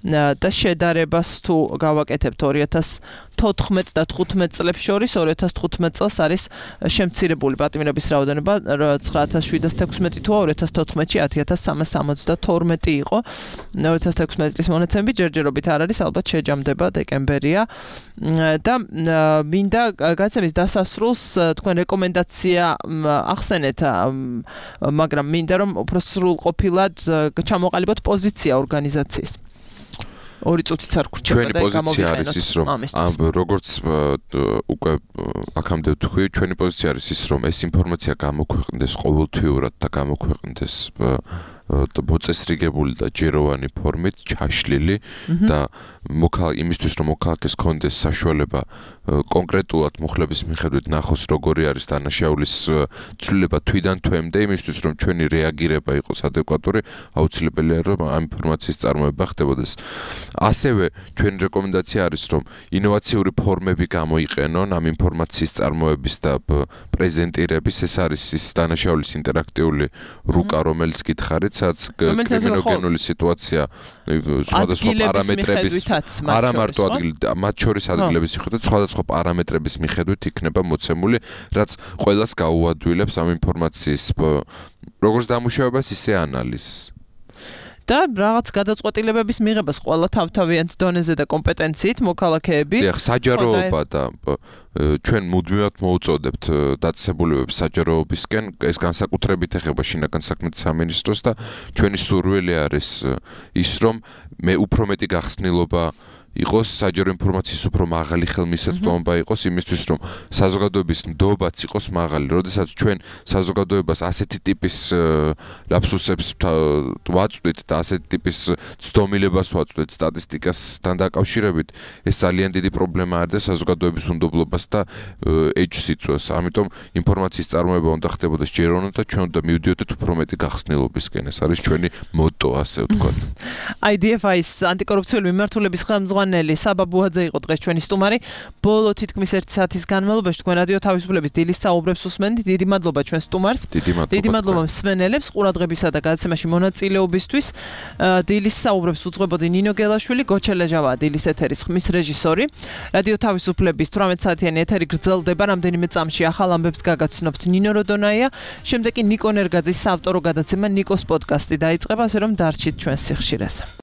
და შედარებას თუ გავაკეთებთ ორი ათას თოთხმეტ და თხუთმეტ წლებს შორის ორი ათას თხუთმეტ წელს არის შემცირებული პატიმრების რაოდენობა ცხრა ათას შვიდას თექვსმეტი თუ ორი ათას თოთხმეტში ათი ათას სამას სამოცდათორმეტი იყო. ორი ათას თექვსმეტი წლის მონაცემები ჯერჯერობით არ არის, ალბათ შეჯამდება დეკემბერია და მინდა გაცემის დასასრულს თქვენ რეკომენდაცია ახსენეთ, მაგრამ მინდა რომ უფრო სრულყოფილად ჩამოყალიბოთ პოზიცია ორგანიზაციის. ორი წუთიც არ გრჩება ჩვენი პოზიცია არის ის რომ როგორც უკვე აქამდე ვთქვი ჩვენი პოზიცია არის ის რომ ეს ინფორმაცია გამოქვეყნდეს ყოველთვიურად და გამოქვეყნდეს მოწესრიგებული და ჯეროვანი ფორმით ჩაშლილი და იმისთვის რომ მოქალაქეს კონდეს საშუალება კონკრეტულად მუხლების მიხედვით ნახოს როგორი არის დანაშაულის ცვლილება თვიდან თვემდე იმისთვის რომ ჩვენი რეაგირება იყოს ადეკვატური აუცილებელია რომ ამ ინფორმაციის წარმოება ხდებოდეს. ასევე ჩვენი რეკომენდაცია არის რომ ინოვაციური ფორმები გამოიყენონ ამ ინფორმაციის წარმოების და პრეზენტირების ეს არის ის დანაშაულის ინტერაქტიული რუკა რომელიც გითხარით სადაც კრიმინოგენული სიტუაცია სხვადასხვა პარამეტრების არა მარტო ადგილი მათ შორის ადგილების მიხედვით სხვადასხვა პარამეტრების მიხედვით იქნება მოცემული რაც ყველას გაუადვილებს ამ ინფორმაციის როგორც დამუშავებას ისე ანალიზს. და რაღაც გადაწყვეტილებების მიღებას ყველა თავთავიანთ დონეზე და კომპეტენციით მოქალაქეები. დიახ, საჯაროობა და ჩვენ მუდმივად მოუწოდებთ დაწესებულებებს საჯაროობისკენ, ეს განსაკუთრებით ეხება შინაგან საქმეთა სამინისტროს და ჩვენი სურვილი არის ის რომ მე უფრო მეტი გახსნილობა იყოს საჯარო ინფორმაციის უფრო მაღალი ხელმისაწვდომობა იყოს იმისთვის რომ საზოგადოების ნდობაც იყოს მაღალი. როდესაც ჩვენ საზოგადოებას ასეთი ტიპის ლაფსუსებს ვაწვდით და ასეთი ტიპის ცდომილებას ვაწვდით სტატისტიკასთან დაკავშირებით, ეს ძალიან დიდი პრობლემა არის და საზოგადოების უნდობლობას და ეჭვს იწვევს. ამიტომ ინფორმაციის წარმოება უნდა ხდებოდეს ჯეროვნად და ჩვენ უნდა მივდიოდეთ უფრო მეტი გახსნილობისკენ. ეს არის ჩვენი მოტო, ასე ვთქვათ. აი დი ეფ აის ანტიკორუფციული მიმართულების ხელმძღვანელი საბა ბუაძე იყო დღეს ჩვენი სტუმარი. ბოლო თითქმის ერთი საათის განმავლობაში თქვენ რადიო თავისუფლების დილის საუბრებს უსმენთ. დიდი მადლობა ჩვენ სტუმარს. დიდი მადლობა მსმენელებს ყურადღებისა და გადაცემაში მონაწილეობისთვის. დილის საუბრებს უძღვებოდი ნინო გელაშვილი, გოჩელეჟავა დილის ეთერის ხმის რეჟისორი. რადიო თავისუფლების თვრამეტ საათიანი ეთერი გრძელდება. რამდენიმე წამში ახალ ამბებს გაგაცნობთ ნინო როდონაია. შემდეგ კი ნიკო ნერგაძის საავტორო გადაცემა ნიკოს პოდკასტი დაიწყება, ასე რომ დარჩით ჩვენს სიხშირეს.